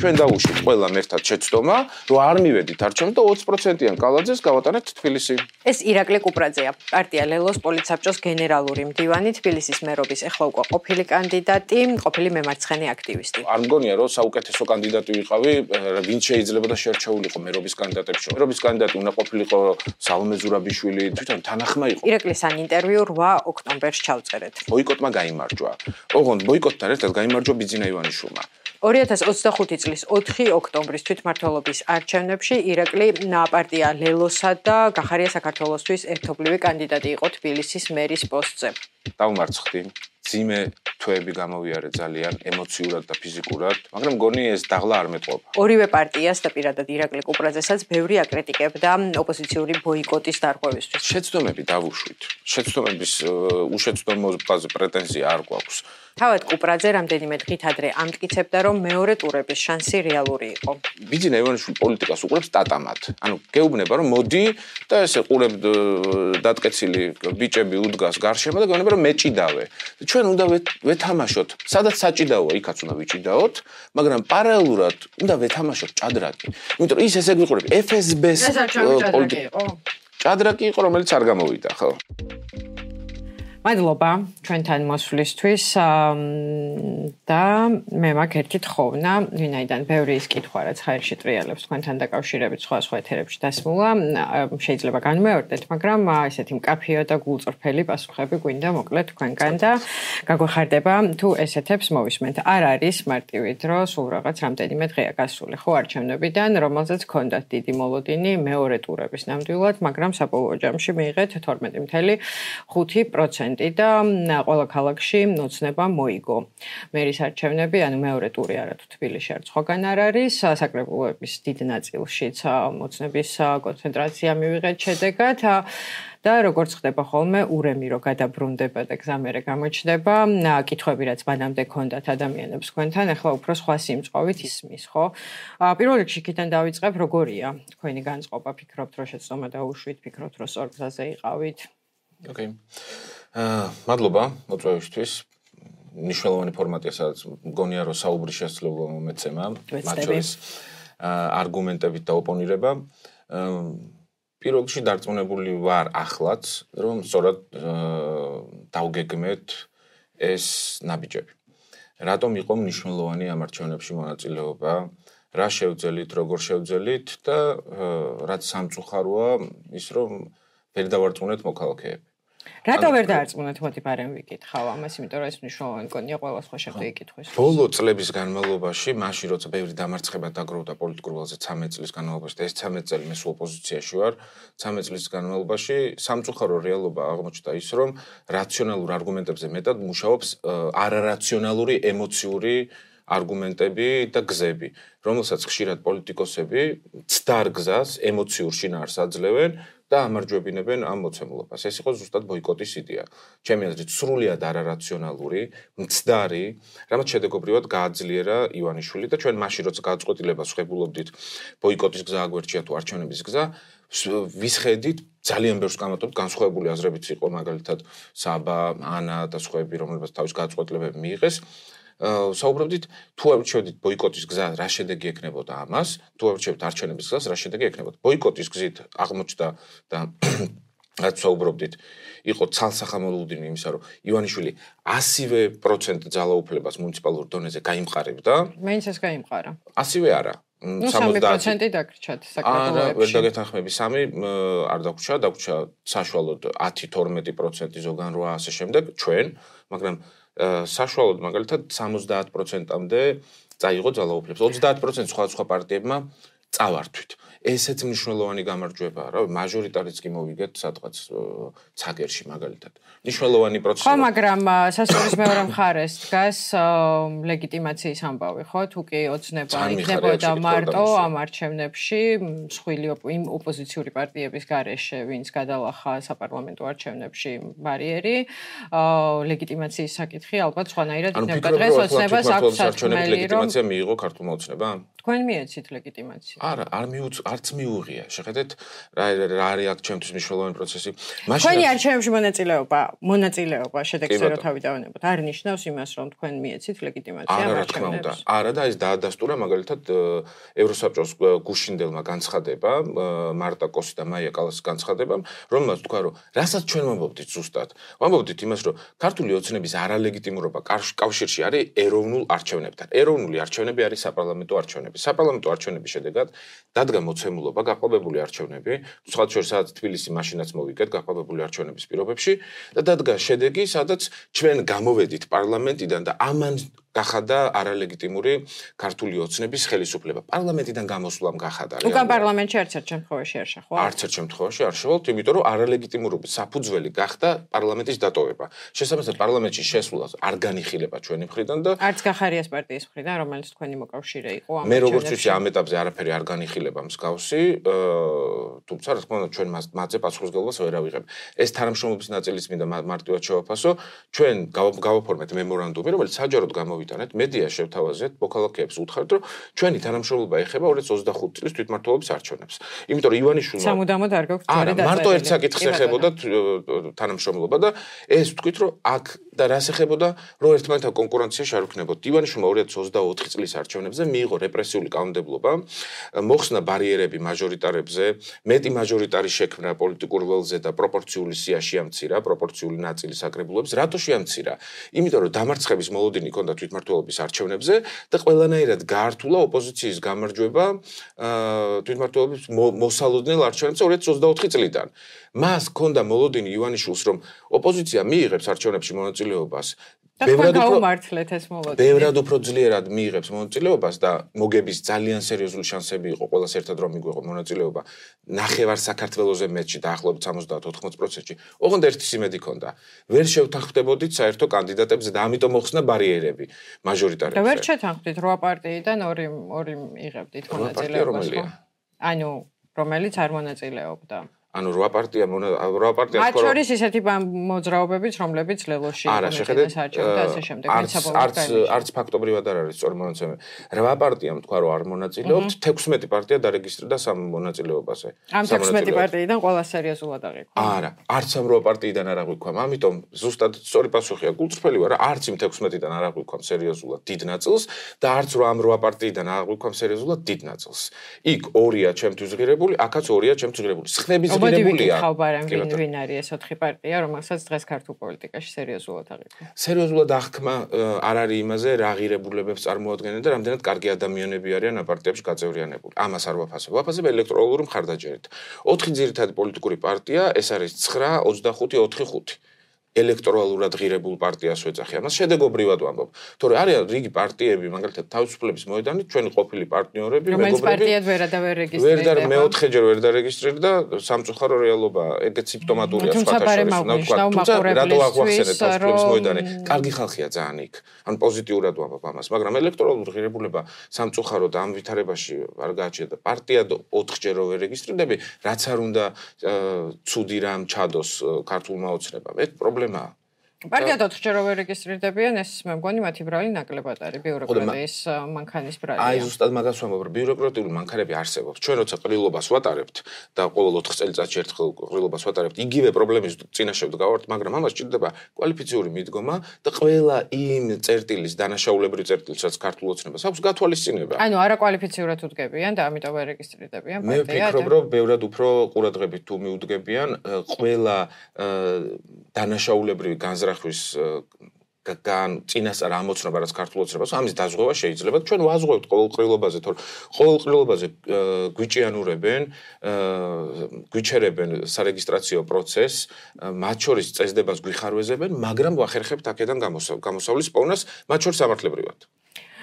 ჩვენ დავუშვით ყველამ ერთად შეცდომა, რომ არ მივედით არჩევნებს და 20%-იან კალაძეს გავატანეთ თბილისი. ეს ირაკლი კუპრაძეა, პარტია ლელოს პოლიტსაბჭოს გენერალური მდივანი, თბილისის მერობის ეხლა უკვე ყოფილი კანდიდატი, ყოფილი მემარცხენე აქტივისტი. არ მგონია, რომ საუკეთესო კანდიდატი ვიყავი, ვინც შეიძლება და შეერჩეულიყო მერობის კანდიდატებში. მერობის კანდიდატი უნდა ყოფილიყო სალომე ზურაბიშვილი, თვითონ თანახმა იყო. ირაკლის ან ინტერვიუ 8 ოქტომბერს ჩავწერეთ. ბოიკოტმა გაიმარჯვა. ოღონდ ბოიკოტთან ერთად გაიმარჯვა ბიძინა ივანიშვილმა. 2025 წლის 4 ოქტომბრის თვითმმართველობის არჩევნებში ირაკლი პარტია ლელოსა და გახარია საქართველოსთვის ერთობლივი კანდიდატი იყო თბილისის მერის პოსტზე. დავმარცხდი. ძიმე თვეები გამოვიარე ძალიან ემოციურად და ფიზიკურად, მაგრამ მგონი ეს დაღლა არ მეტყობა. ორივე პარტიას და პირადად ირაკლი კუპრაძესაც ბევრი აკრიტიკებდა ოპოზიციური ბოიკოტის დარღვევისთვის. შეცდომები დავუშვით. შეცდომების უშეცდომობაზე პრეტენზია არ გვაქვს. თავად კუპრაძე რამდენიმე დღით ადრე ამტკიცებდა, რომ მეორე ტურების შანსი რეალური იყო. ბიძინა ივანიშვილი პოლიტიკას უყურებს ტატამად. ანუ გეუბნება, რომ მოდი და ესე ყურებ დატკეცილი ბიჭები უდგას გარშემო და გეუბნება, რომ მეჭიდავე. ჩვენ უნდა ვეთამაშოთ. სადაც საჭიდაოა, იქაც უნდა ვიჭიდაოთ, მაგრამ პარალელურად უნდა ვეთამაშოთ ჭადრაკი. იმიტომ რომ ის ესე გვიყურებ FSB-ს პოლიტიკა. ჭადრაკი იყო, რომელიც არ გამოვიდა, ხო? მადლობა ჩვენთან მოსვლისთვის და მე მაქვს ერთი თხოვნა, ვინაიდან ბევრი ის კითხვა, რაც ხაერში ტრიალებს თქვენთან დაკავშირებით სხვა ეთერებში დასმულა, შეიძლება განმეორდეთ, მაგრამ ესეთი მკაფიო და გულწრფელი პასუხები გვინდა მოკლედ თქვენგან და გაგვეხარდება თუ ესეთებს მოვისმენთ. არ არის მარტივი დრო, სულ რაღაც რამდენიმე დღეა გასული, ხო არჩევნებიდან, რომელზეც ჰქონდათ დიდი მოლოდინი მეორე ტურების ნამდვილად, მაგრამ საბოლოო ჯამში მიიღეთ 12.5% და ყველა ქალაქში ოცნება მოიგო. მერის არჩევნები, ანუ მეორე ტური არა თუ თბილისში არც სხვაგან არ არის, საკრებულოების დიდ ნაწილშიც ოცნების კონცენტრაცია მივიღეთ შედეგად და როგორც ხდება ხოლმე, ურემი რო გადაბრუნდება და გზამერე გამოჩნდება, კითხვები რაც მანამდე ჰქონდათ ადამიანებს თქვენთან, ახლა უფრო სხვა სიმწყობით ისმის, ხო? პირველ რიგში იქიდან დავიწყებ, როგორია თქვენი განწყობა, ფიქრობთ, რომ შეცდომა დაუშვით, ფიქრობთ, რომ სწორ გზაზე იყავით? ოკეი. მადლობა მოწვევისთვის. მნიშვნელოვანი ფორმატია, სადაც მგონია, რომ საუბრის შესაძლებლობა მომეცემა, მათ შორის არგუმენტებით და ოპონირება. პირველ რიგში დარწმუნებული ვარ ახლაც, რომ სწორად დავგეგმეთ ეს ნაბიჯები. რატომ იყო მნიშვნელოვანი ამ არჩევნებში მონაწილეობა, რა შევძელით, როგორ შევძელით და რაც სამწუხაროა ის, რომ ვერ დავარწმუნეთ მოქალაქეები. რატო ვერ დაარწმუნეთ, მოდი ბარემ ვიკითხავ ამას, იმიტომ რომ ეს მნიშვნელოვანი კონია ყველა სხვა შეხვედრი კითხვის. ბოლო წლების განმავლობაში, მაშინ როცა ბევრი დამარცხება დაგროვდა პოლიტიკურ ველზე 13 წლის განმავლობაში და ეს 13 წელი მე სულ ოპოზიციაში ვარ, 13 წლის განმავლობაში სამწუხარო რეალობა აღმოჩნდა ის, რომ რაციონალურ არგუმენტებზე მეტად მუშაობს არარაციონალური ემოციური არგუმენტები და გზები, რომელსაც ხშირად პოლიტიკოსები ცდარ გზას ემოციურ შინაარსს აძლევენ და ამარჯვებინებენ ამ მოცემულობას. ეს იყო ზუსტად ბოიკოტის იდეა. ჩემი აზრით, სრულიად არარაციონალური, მცდარი, რამაც შედეგობრივად გააძლიერა ივანიშვილი და ჩვენ მაშინ როცა გადაწყვეტილებას ვხებულობდით ბოიკოტის გზა აგვერჩია თუ არჩევნების გზა, ვისხედით ძალიან ბევრს გამატოთ განსხვავებული აზრებიც იყო მაგალითად საბა, ანა და სხვაები, რომლებსაც თავის გადაწყვეტილებები მიიღეს. საუბრობდით თუ არჩევდით ბოიკოტის გზა რა შედეგი ექნებოდა ამას, თუ არჩევთ არჩევნების გზას რა შედეგი ექნებოდა. ბოიკოტის გზით აღმოჩნდა და რაც საუბრობდით, იყო ცალსახამოლოდინი იმისა, რომ ივანიშვილი 100% ძალაუფლებას მუნიციპალურ დონეზე გაიმყარებდა. მაინც ეს გაიმყარა. 100 არა. 3% დაგრჩათ საკრებულოებში. ვერ დაგეთანხმები 3 არ დაგვრჩა, დაგვრჩა საშუალოდ 10-12% ზოგან 8 ასე შემდეგ ჩვენ, მაგრამ საშუალოდ მაგალითად 70%-მდე წაიღო ძალაუფლებას. 30% სხვა პარტიებმა წავართვით. ესეც მნიშვნელოვანი გამარჯვებაა, რა, მაჟორიტარიც კი მოვიგეთ სადღაც ცაგერში მაგალითად. მნიშვნელოვანი პროცესი. ხო, მაგრამ სასწავლებლის მეორე მხარეს დგას ლეგიტიმაციის ამბავი, ხო? თუ კი ოცნება იქნებოდა მარტო ამ არჩევნებში, მსხვილი იმ ოპოზიციური პარტიების გარეშე, ვინც გადალახა საპარლამენტო არჩევნებში ბარიერი, ლეგიტიმაციის საკითხი ალბათ სხვანაირად იქნებოდა. დღეს ოცნებას აქვს სათქმელი, რომ ლეგიტიმაცია მიიღო ქართულმა ოცნებამ? თქვენ მიეცით ლეგიტიმაცია. არა, არც მიუღია. შეხედეთ რა არის აქ ჩემთვის მნიშვნელოვანი პროცესი. თქვენი არჩევნებში მონაწილეობა შედეგზე რო თავი დავანებოთ, არ ნიშნავს იმას, რომ თქვენ მიეცით ლეგიტიმაცია არა, რა თქმა უნდა. არა და ეს დაადასტურა მაგალითად ევროსაბჭოს გუშინდელმა განცხადება, მარტა კოსი და მაია კალასის განცხადებამ, რომელმაც თქვა, რომ რასაც ჩვენ ვამბობდით ზუსტად. ვამბობდით იმას, რომ ქართული ოცნების არალეგიტიმურობა კავშირში არის ეროვნულ არჩევნებთან. ეროვნული არჩევნები არის საპარლამენტო არჩევნები. საპარლამენტო არჩევნების შედეგად დადგა მოცემულობა გაყალბებული არჩევნები, სხვა შორის სადაც თბილისი მაშინაც მოვიგეთ გაყალბებული არჩევნების პირობებში და დადგა შედეგი, სადაც ჩვენ გამოვედით პარლამენტიდან და ამან გახადა არალეგიტიმური ქართული ოცნების ხელისუფლება. პარლამენტიდან გამოსვლამ გახადა. უკან პარლამენტში არც ერთ შემთხვევაში არ შეხვალ. არც ერთ შემთხვევაში არ შევალთ, იმიტომ რომ არალეგიტიმურობის საფუძველი გახდა პარლამენტის დატოვება. შესაბამისად პარლამენტში შესვლას არ განიხილება ჩვენი მხრიდან და არც გახარიას პარტიის მხრიდან, რომელიც თქვენი მოკავშირე იყო ამ მე როგორც ვიცი ამ ეტაპზე არაფერი არ განიხილება მსგავსი, თუმცა რა თქმა უნდა ჩვენ მასზე პასუხისმგებლობას ვერ ავიღებ. ეს თანამშრომლობის ნაწილიც მინდა მარტივად შევაფასო, ჩვენ გავაფორმეთ მემორანდუმი, რომელიც საჯაროდ გამოვიტანეთ, მედია შევთავაზეთ, მოქალაქეებს უთხრეთ, რომ ჩვენი თანამშრომლობა ეხება 2025 წლის თვითმმართველობის არჩევნებს. იმიტომ რომ ივანიშვილმა სამუდამოდ არ გაქვს ძველი დაწერილი. მარტო ერთ საკითხს ეხებოდა თანამშრომლობა და ეს თქვით, რომ აქ და რას ეხებოდა, რომ ერთმანეთთან კონკურენციაში არ ვქნებოდით. ივანიშვილმა 2024 წლის არჩევნებზე მიიღო რეპრესიული კანონმდებლობა, მოხსნა ბარიერები მაჟორიტარებზე, მეტი მაჟორიტარი შექმნა პოლიტიკურ ველზე და პროპორციული სია შეამცირა, პროპორციული ნაწილი საკრებულოებს. რატო შეამცირა? იმიტომ რომ დამარცხების მოლოდინი ჰქონდა თვითმმართველობის არჩევნებზე და ყველანაირად გაართულა ოპოზიციის გამარჯვება თვითმმართველობის მოსალოდნელ არჩევნებზე 2024 წლიდან. მას ჰქონდა მოლოდინი ივანიშვილს, რომ ოპოზიცია მიიღებს არჩევნებში მონაწილეობას. ბევრად უფრო ძლიერად მიიღებს მონაწილეობას და მოგების ძალიან სერიოზული შანსები იყო ყველას ერთად რომ მიგვიღო მონაწილეობა. ნახევარ საქართველოზე მეტში დაახლოებით 70-80%-ში. ოღონდ ერთის იმედი ჰქონდა. ვერ შევთანხმდებოდით საერთო კანდიდატებზე და ამიტომ მოხსნა ბარიერები მაჟორიტარებზე. და ვერ შეთანხმდით 8 პარტიიდან 2 იღებდით მონაწილეობას. ანუ რომელიც არ მონაწილეობდა. ანუ 8 პარტია მათ შორის ისეთი მოძრაობებიც, რომლებიც ლელოში იმედეს არჩევდა და ასე შემდეგ. არც ფაქტობრივად არ არის სწორი მონაცემები. 8 პარტიამ თქვა, რომ არ მონაწილეობთ, 16 პარტია დარეგისტრირდა სამ მონაწილეობაზე. ამ 16 პარტიიდან ყველა სერიოზულად აღიქვა. არა, არც ამ 8 პარტიიდან არ აღვიქვამ. ამიტომ ზუსტად სწორი პასუხია გულწრფელი ვარ, არც იმ 16-დან არ აღვიქვამ სერიოზულად დიდ ნაწილს და არც ამ 8 პარტიიდან არ აღვიქვამ სერიოზულად დიდ ნაწილს. იქ 2-ია ჩემთვის ღირებული, აქაც 2-ია ჩემთვის ღირებული. ხმების ვინ არის ეს 4 პარტია, რომელსაც დღეს ქართულ პოლიტიკაში სერიოზულად აღიქვა. სერიოზულად აღქმა არ არის იმაზე, რა ღირებულებებს წარმოადგენენ და რამდენად კარგი ადამიანები არიან ამ პარტიებში გაწევრიანებული. ამას არ ვაფასებ. ვაფასებ ელექტრალური მხარდაჭერით. 4 ძირითადი პოლიტიკური პარტია, ეს არის 9, 25, 4-5. ელექტრალურად ღირებულ პარტიას ვეძახი. ამას შედეგობრივად ვამბობ. თორე არიან რიგი პარტიები, მაგალითად თავისუფლების მოედანით, ჩვენი ყოფილი პარტნიორები, მეგობრები, პარტიად ვერ ადავერეგისტრირდა. ვერ მეოთხეჯერ ვერ დარეგისტრირდა, სამწუხარო რეალობა, ეგეც სიმპტომატურია სხვათა შორის. თუმცა რატო აღვახსენეთ თავისუფლების მოედანი? კარგი ხალხია ძალიან იქ. ან პოზიტიურად ვამბობ ამას, მაგრამ ელექტრალურ ღირებულება სამწუხაროდ ამ ვითარებაში არ გააჩნია და პარტია 4-ჯერ ვერ რეგისტრირდები, რაც არ უნდა ცუდი რამ ჩადოს ქართულმა ოცნებამ. ეს პრობლემაა. პარტია 4-ჯერ ვერ რეგისტრირდებიან, ეს მე მგონი მათი ბრალი ნაკლებად არის ბიუროკრატიის მანქანის ბრალია. აი ზუსტად მაგას ვამბობ, რომ ბიუროკრატიული მანქანები არსებობს. ჩვენ როცა ყრილობას ვატარებთ და ყოველ 4 წელიწადში ერთხელ ყრილობას ვატარებთ, იგივე პრობლემის წინაშე ვდგავართ, მაგრამ ამას ჭირდება კვალიფიციური მიდგომა და ყველა იმ წერტილის, დანაშაულებრივი წერტილის, რაც ქართულ ოცნებას აქვს, გათვალისწინება. ანუ არაკვალიფიციურად უდგებიან და ამიტომ ვერ რეგისტრირდებიან პარტია. მე ვფიქრობ, რომ ბევრად უფრო ყურადღებით თუ მიუდგებიან, ყველა დანაშაულებრივი განზრახვის წინასწარ ამოცნობა რაც ქართულ ოცნებას, ამის დაზღვევა შეიძლება. ჩვენ ვაზღვევთ ყოველ ყრილობაზე, თორე ყოველ ყრილობაზე გვიჭიანურებენ, გვიჩერებენ სარეგისტრაციო პროცესს, მათ შორის წესდებას გვიხარვეზებენ, მაგრამ ვახერხებთ აქედან გამოსავლის პოვნას, მათ შორის სამართლებრივად.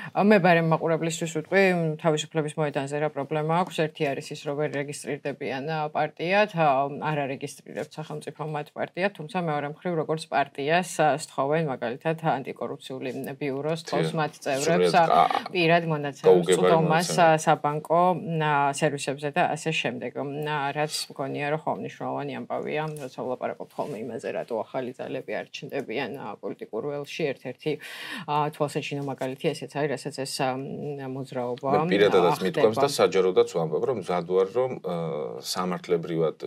მე ბარემ მაყურებლისთვის ვიტყვი, თავისუფლების მოედანზე რა პრობლემა აქვს. ერთი არის ის, რომ ვერ რეგისტრირდებიან პარტიად, არ არეგისტრირებთ სახელმწიფო მათ პარტიად, თუმცა მეორე მხრივ როგორც პარტიას სთხოვენ მაგალითად ანტიკორუფციული ბიუროს თხოვს მათ წევრებს პირად მონაცემებს წვდომას საბანკო სერვისებზე და ასე შემდეგ. რაც მგონია, რომ ხომ მნიშვნელოვანი ამბავია, როცა ვლაპარაკობთ ხოლმე იმაზე, რატო ახალი ძალები არ ჩნდებიან პოლიტიკურ ველში, ერთ-ერთი თვალსაჩინო მაგალითი ესეც არის, როდესაც ეს მოძრაობა მე პირადადაც მithქვამს და საჯაროდაც ვამბობ, რომ მზად ვარ, რომ სამართლებრივად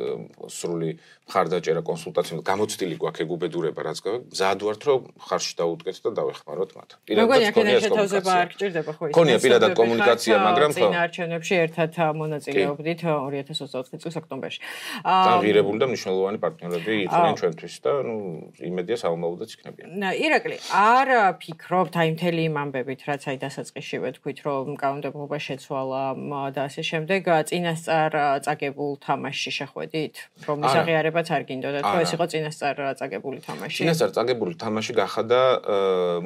სრული მხარდაჭერა კონსულტაციები გამოცდილი გვაქვს ეგ უბედურება, რაც მზად ვართ, რომ ხარში დავუდგეთ და დავეხმაროთ მათ. პირადად შეთავაზება არ გჭირდება ხო ის? ქონია პირადად კომუნიკაცია, მაგრამ წინა არჩევნებში ერთად მონაწილეობდით 2024 წლის ოქტომბერში. აღირებული და მნიშვნელოვანი პარტნიორები იყვნენ ჩვენთვის და იმედია საომალოდაც იქნებიან. ირაკლი, არ ფიქრობთ აი მთელი იმ ამბებით, რაც აი დასაწყისშივე თქვით, რომ კანონმდებლობა შეცვალა და ასე შემდეგ, წინასწარ წაგებულ თამაშში შეხვედით, რომ ის აღიარებაც არ გინდოდათ, რომ ეს იყო წინასწარ წაგებული თამაში. წინასწარ წაგებული თამაში გახადა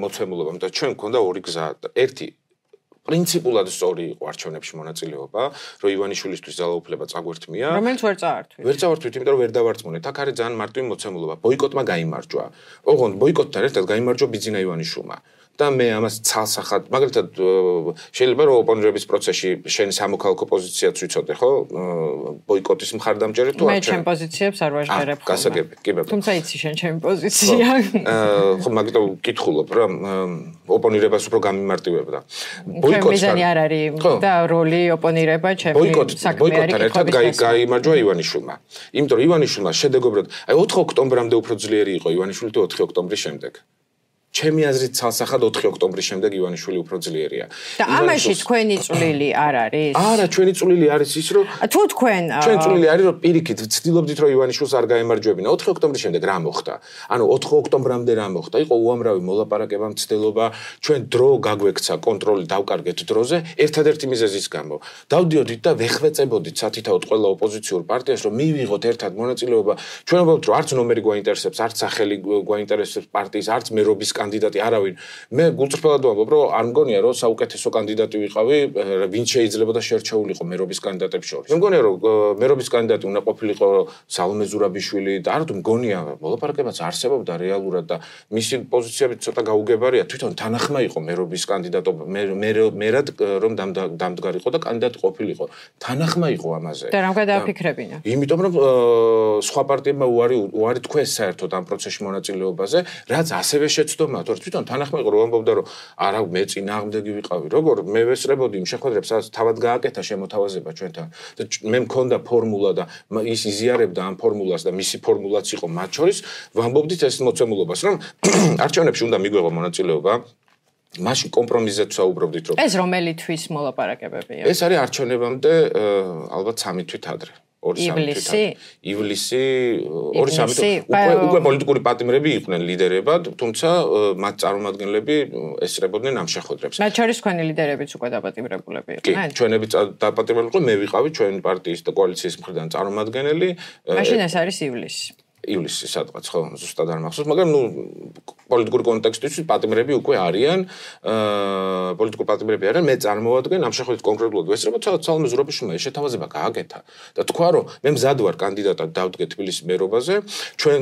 მოცემულობა, იმიტომ ჩვენ გვქონდა ორი გზა. ერთი პრინციპულად სწორი იყო არჩევნებში მონაწილეობა, რომ ივანიშვილისთვის ძალაუფლება წაგვერთმია. რომელიც ვერ წაართვით. ვერ წავართვით, იმიტომ რომ ვერ დავარწმუნეთ. აქ არის ძალიან მარტივი მოცემულობა. ბოიკოტმა გაიმარჯვა. ოღონდ ბოიკოტთან ერთად გაიმარჯვა ბიძინა ივანიშვილმა. და მე ამას ცალსახად, მაგალითად შეიძლება რომ ოპონირების პროცესში შენ სამოქალაქო პოზიციაც ვიცოდე, ხო? ბოიკოტის მხარდამჭერი თუ არ? მე ჩემ პოზიციებს არ ვაჟღერებ ხოლმე. გასაგები, კი ბატონო. თუმცა იცი შენ ჩემი პოზიცია. ხო, მაგიტომ ვკითხულობ, რომ ოპონირებას უფრო გამიმარტივებდა. ბოიკოტთან მიზანი არ არის და როლი ოპონირება ჩემი საქმე არის. ბოიკოტთან ერთად გაიმარჯვა ივანიშვილმა. იმიტომ რომ ივანიშვილმა შედეგობრივად, აი 4 ოქტომბრამდე უფრო ძლიერი იყო ივანიშვილი თუ 4 ოქტომბრის შემდეგ. ჩემი აზრით ცალსახად 4 ოქტომბრის შემდეგ ივანიშვილი უფრო ძლიერია. და ამაში თქვენი წვლილი არ არის? არა, ჩვენი წვლილი არის ის, რომ თუ თქვენ ჩვენი წვლილი არის, რომ პირიქით ვცდილობდით, რომ ივანიშვილს არ გაემარჯვებინა. 4 ოქტომბრის შემდეგ რა მოხდა? ანუ 4 ოქტომბრამდე რა მოხდა? იყო უამრავი მოლაპარაკება, მცდელობა, ჩვენ დრო გაგვექცა, კონტროლი დავკარგეთ დროზე, ერთადერთი მიზეზის გამო. დავდიოდით და ვეხვეწებოდით სათითაოდ ყველა ოპოზიციურ პარტიას, რომ მივიღოთ ერთად მონაწილეობა. ჩვენ ვამბობთ, რომ არც ნომერი გვაინტერესებს, არც სახელი გვაინტერესებს პარტიის, არც მერობის კანდიდატი არავინ. მე გულწრფელად ვამბობ, რომ არ მგონია, რომ საუკეთესო კანდიდატი ვიყავი, ვინც შეიძლება და შეერჩეულიყო მერობის კანდიდატების შორის. მე მგონია, რომ მერობის კანდიდატი უნდა ყოფილიყო სალომე ზურაბიშვილი და არა თუ მგონია, მოლაპარაკებაც არსებობდა რეალურად და მისი პოზიციები ცოტა გაუგებარია. თვითონ თანახმა იყო მერობის კანდიდატობა, მერად რომ დამდგარიყო და კანდიდატი ყოფილიყო. თანახმა იყო ამაზე. და რამ გადააფიქრებინა? იმიტომ რომ სხვა პარტიებმა უარი თქვეს საერთოდ ამ პროცესში მონაწილეობაზე, რაც ასევე შეცდომა თვითონ თანახმა იყო რომ ამბობდა რომ არა მე წინააღმდეგი ვიყავი როგორ მე ვესწრებოდი იმ შეხვედრებს სადაც თავად გააკეთა შემოთავაზება ჩვენთან და მე მქონდა ფორმულა და ის იზიარებდა ამ ფორმულას და მისი ფორმულაც იყო მათ შორის ვამბობდით ეს მოცემულობას რომ არჩევნებში უნდა მიგვეღო მონაწილეობა მაშინ კომპრომისზეც საუბრობდით რომ ეს რომელი თვის მოლაპარაკებებია ეს არის არჩევნებამდე ალბათ 3 თვით ადრე ივლისი 2-3 უკვე პოლიტიკური პატიმრები იყვნენ ლიდერებად, თუმცა მათ წარმომადგენლები ესწრებოდნენ ამ შეხვედრებს. მათ შორის თქვენი ლიდერებიც უკვე დაპატიმრებულები იყვნენ. კი, ჩვენები დაპატიმრებული იყო, მე ვიყავი ჩვენი პარტიის და კოალიციის მხრიდან წარმომადგენელი. მაშინ ეს არის ივლისი. ივლისი სადღაც ხო ზუსტად არ მახსოვს, მაგრამ პოლიტიკური კონტექსტში პატიმრები უკვე არიან, პოლიტიკური პატიმრები არიან, მე წარმოვადგენ ამ შეხვედრით კონკრეტულად ვესწრებოდ, სალომე ზურაბიშვილმა შეთავაზება გააკეთა და თქვა რომ მე მზად ვარ კანდიდატად დავდგე თბილისის მერობაზე, ჩვენ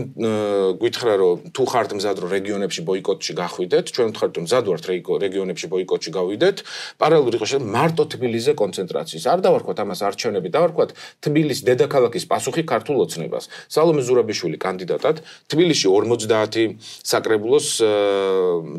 გითხრა რომ თუ ხართ მზად რომ რეგიონებში ბოიკოტში გახვიდეთ, ჩვენ ვთქვათ რომ მზად ვართ რეგიონებში ბოიკოტში გავიდეთ, პარალელურად იყო შეიძლება მარტო თბილისზე კონცენტრაციის. არ დავარქვათ ამას არჩევნები, დავარქვათ თბილისის დედაქალაქის პასუხი ქართულ ოცნებას. სალომე ზურაბიშვილი კანდიდატად თბილისში 50 საკრებულოს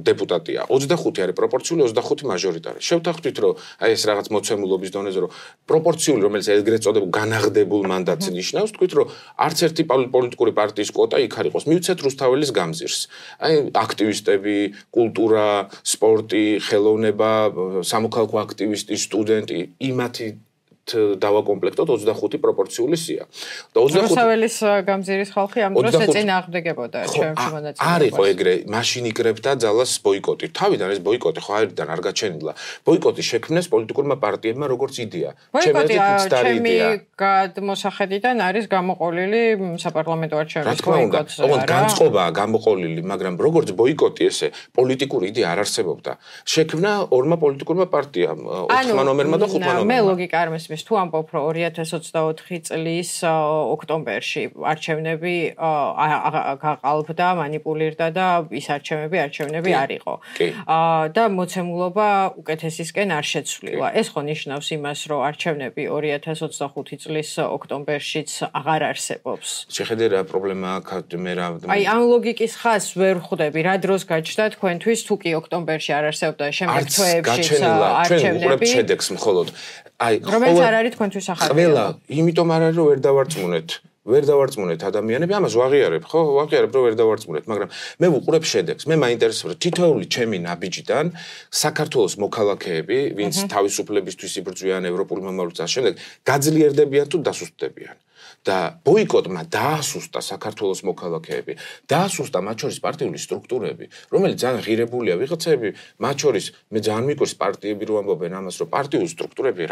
დეპუტატია 25 არის პროპორციული 25 მაჟორიტარი შევთანხმდით რომ აი ეს რაღაც მოცემულობის დონეზე რომ პროპორციული რომელიც ეგრეთ წოდებულ განაღდებულ მანდატს ნიშნავს თქვით რომ არც ერთი პოლიტიკური პარტიის კვოტა იქ არ იყოს მივცეთ რუსთაველის გამზირს აი აქტივისტები კულტურა სპორტი ხელოვნება სამოქალაქო აქტივისტი სტუდენტი იმათი დავაკომპლექტოთ 25 პროპორციული სია. და 25 რუსთაველის გამზირის ხალხი ამ დროს ეწინააღმდეგებოდა ჩემში მონაწილეობას. არ იყო ეგრე, მაშინ იკრებდა ძალას ბოიკოტი. თავიდან ეს ბოიკოტი ხო აირიდან არ გაჩენილა. ბოიკოტი შექმნეს პოლიტიკურმა პარტიებმა როგორც იდეა. ჩემი გადმოსახედიდან არის გამოყოლილი საპარლამენტო არჩევნების ბოიკოტზე. ოღონდ განწყობაა გამოყოლილი, მაგრამ როგორც ბოიკოტი ესე პოლიტიკური იდეა არ არსებობდა. შექმნა ორმა პოლიტიკურმა პარტიამ, 4 ნომერმა და 5 ნომერმა. მე ლოგიკა არ მესმის. მესმის თუ ამბობ რომ 2024 წლის ოქტომბერში არჩევნები გაყალბდა, манипуლირდა და ის არჩევნები არ იყო. და მოცემულობა უკეთესისკენ არ შეცვლილა. ეს ხო ნიშნავს იმას, რომ არჩევნები 2025 წლის ოქტომბერშიც აღარ არსებობს. შეხედე რა პრობლემა აქვს მე რა. აი ამ ლოგიკის ხაზს ვერ ხვდები, რა დროს გაჩნდა თქვენთვის თუ კი ოქტომბერში არ არსებობდა შემდეგ თვეებში არჩევნები. შედეგს მხოლოდ. აი რომელიც არ არის თქვენთვის ახალი. ყველა, იმიტომ არ არის რომ ვერ დავარწმუნეთ ადამიანები, ამას ვაღიარებ, ხო? ვაღიარებ რომ ვერ დავარწმუნეთ, მაგრამ მე ვუყურებ შედეგს. მე მაინტერესებს თითოეული ჩემი ნაბიჯიდან საქართველოს მოქალაქეები, ვინც თავისუფლებისთვის იბრძვიან ევროპული მომავლობის შემდეგ, გაძლიერდებიან თუ დასუსტდებიან. და ბოიკოტმა დაასუსტა საქართველოს მოქალაქეები, დაასუსტა მათ შორის პარტიული სტრუქტურები, რომელიც ძალიან ღირებულია ვიღაცები, მათ შორის მე ძალიან მიყვარს პარტიები რომ ამბობენ ამას, რომ პარტიული სტრუქტურები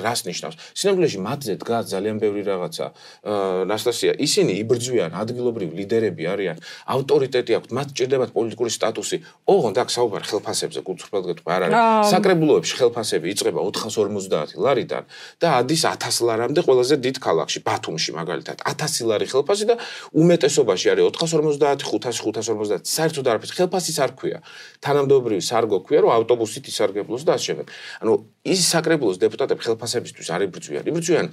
რას ნიშნავს. სინამდვილეში მათზე დგას ძალიან ბევრი რაღაცა. ნასტასია, ისინი იბრძვიან, ადგილობრივი ლიდერები არიან, ავტორიტეტი აქვთ, მათ ჭირდებათ პოლიტიკური სტატუსი. ოღონდ აქ საუბარი ხელფასებზე, კულტურულად გეტყვი არ არის. საკრებულოებში ხელფასები იწყება 450 ლარიდან და ადის 1000 ლარამდე ყველაზე დიდ ქალაქში, ბათუმში მაგალითად 1000 ლარი ხელფასი და უმეტესობაში არის 450, 500, 550. საერთოდ არაფერს ხელფასის არ ქვია. თანამდებობრივი სარგო ქვია, რომ ავტობუსით ისარგებლოს და ასე შემდეგ. ანუ ის საკრებულოს დეპუტატები ხელფასებისთვის არ იბრძვიან. იბრძვიან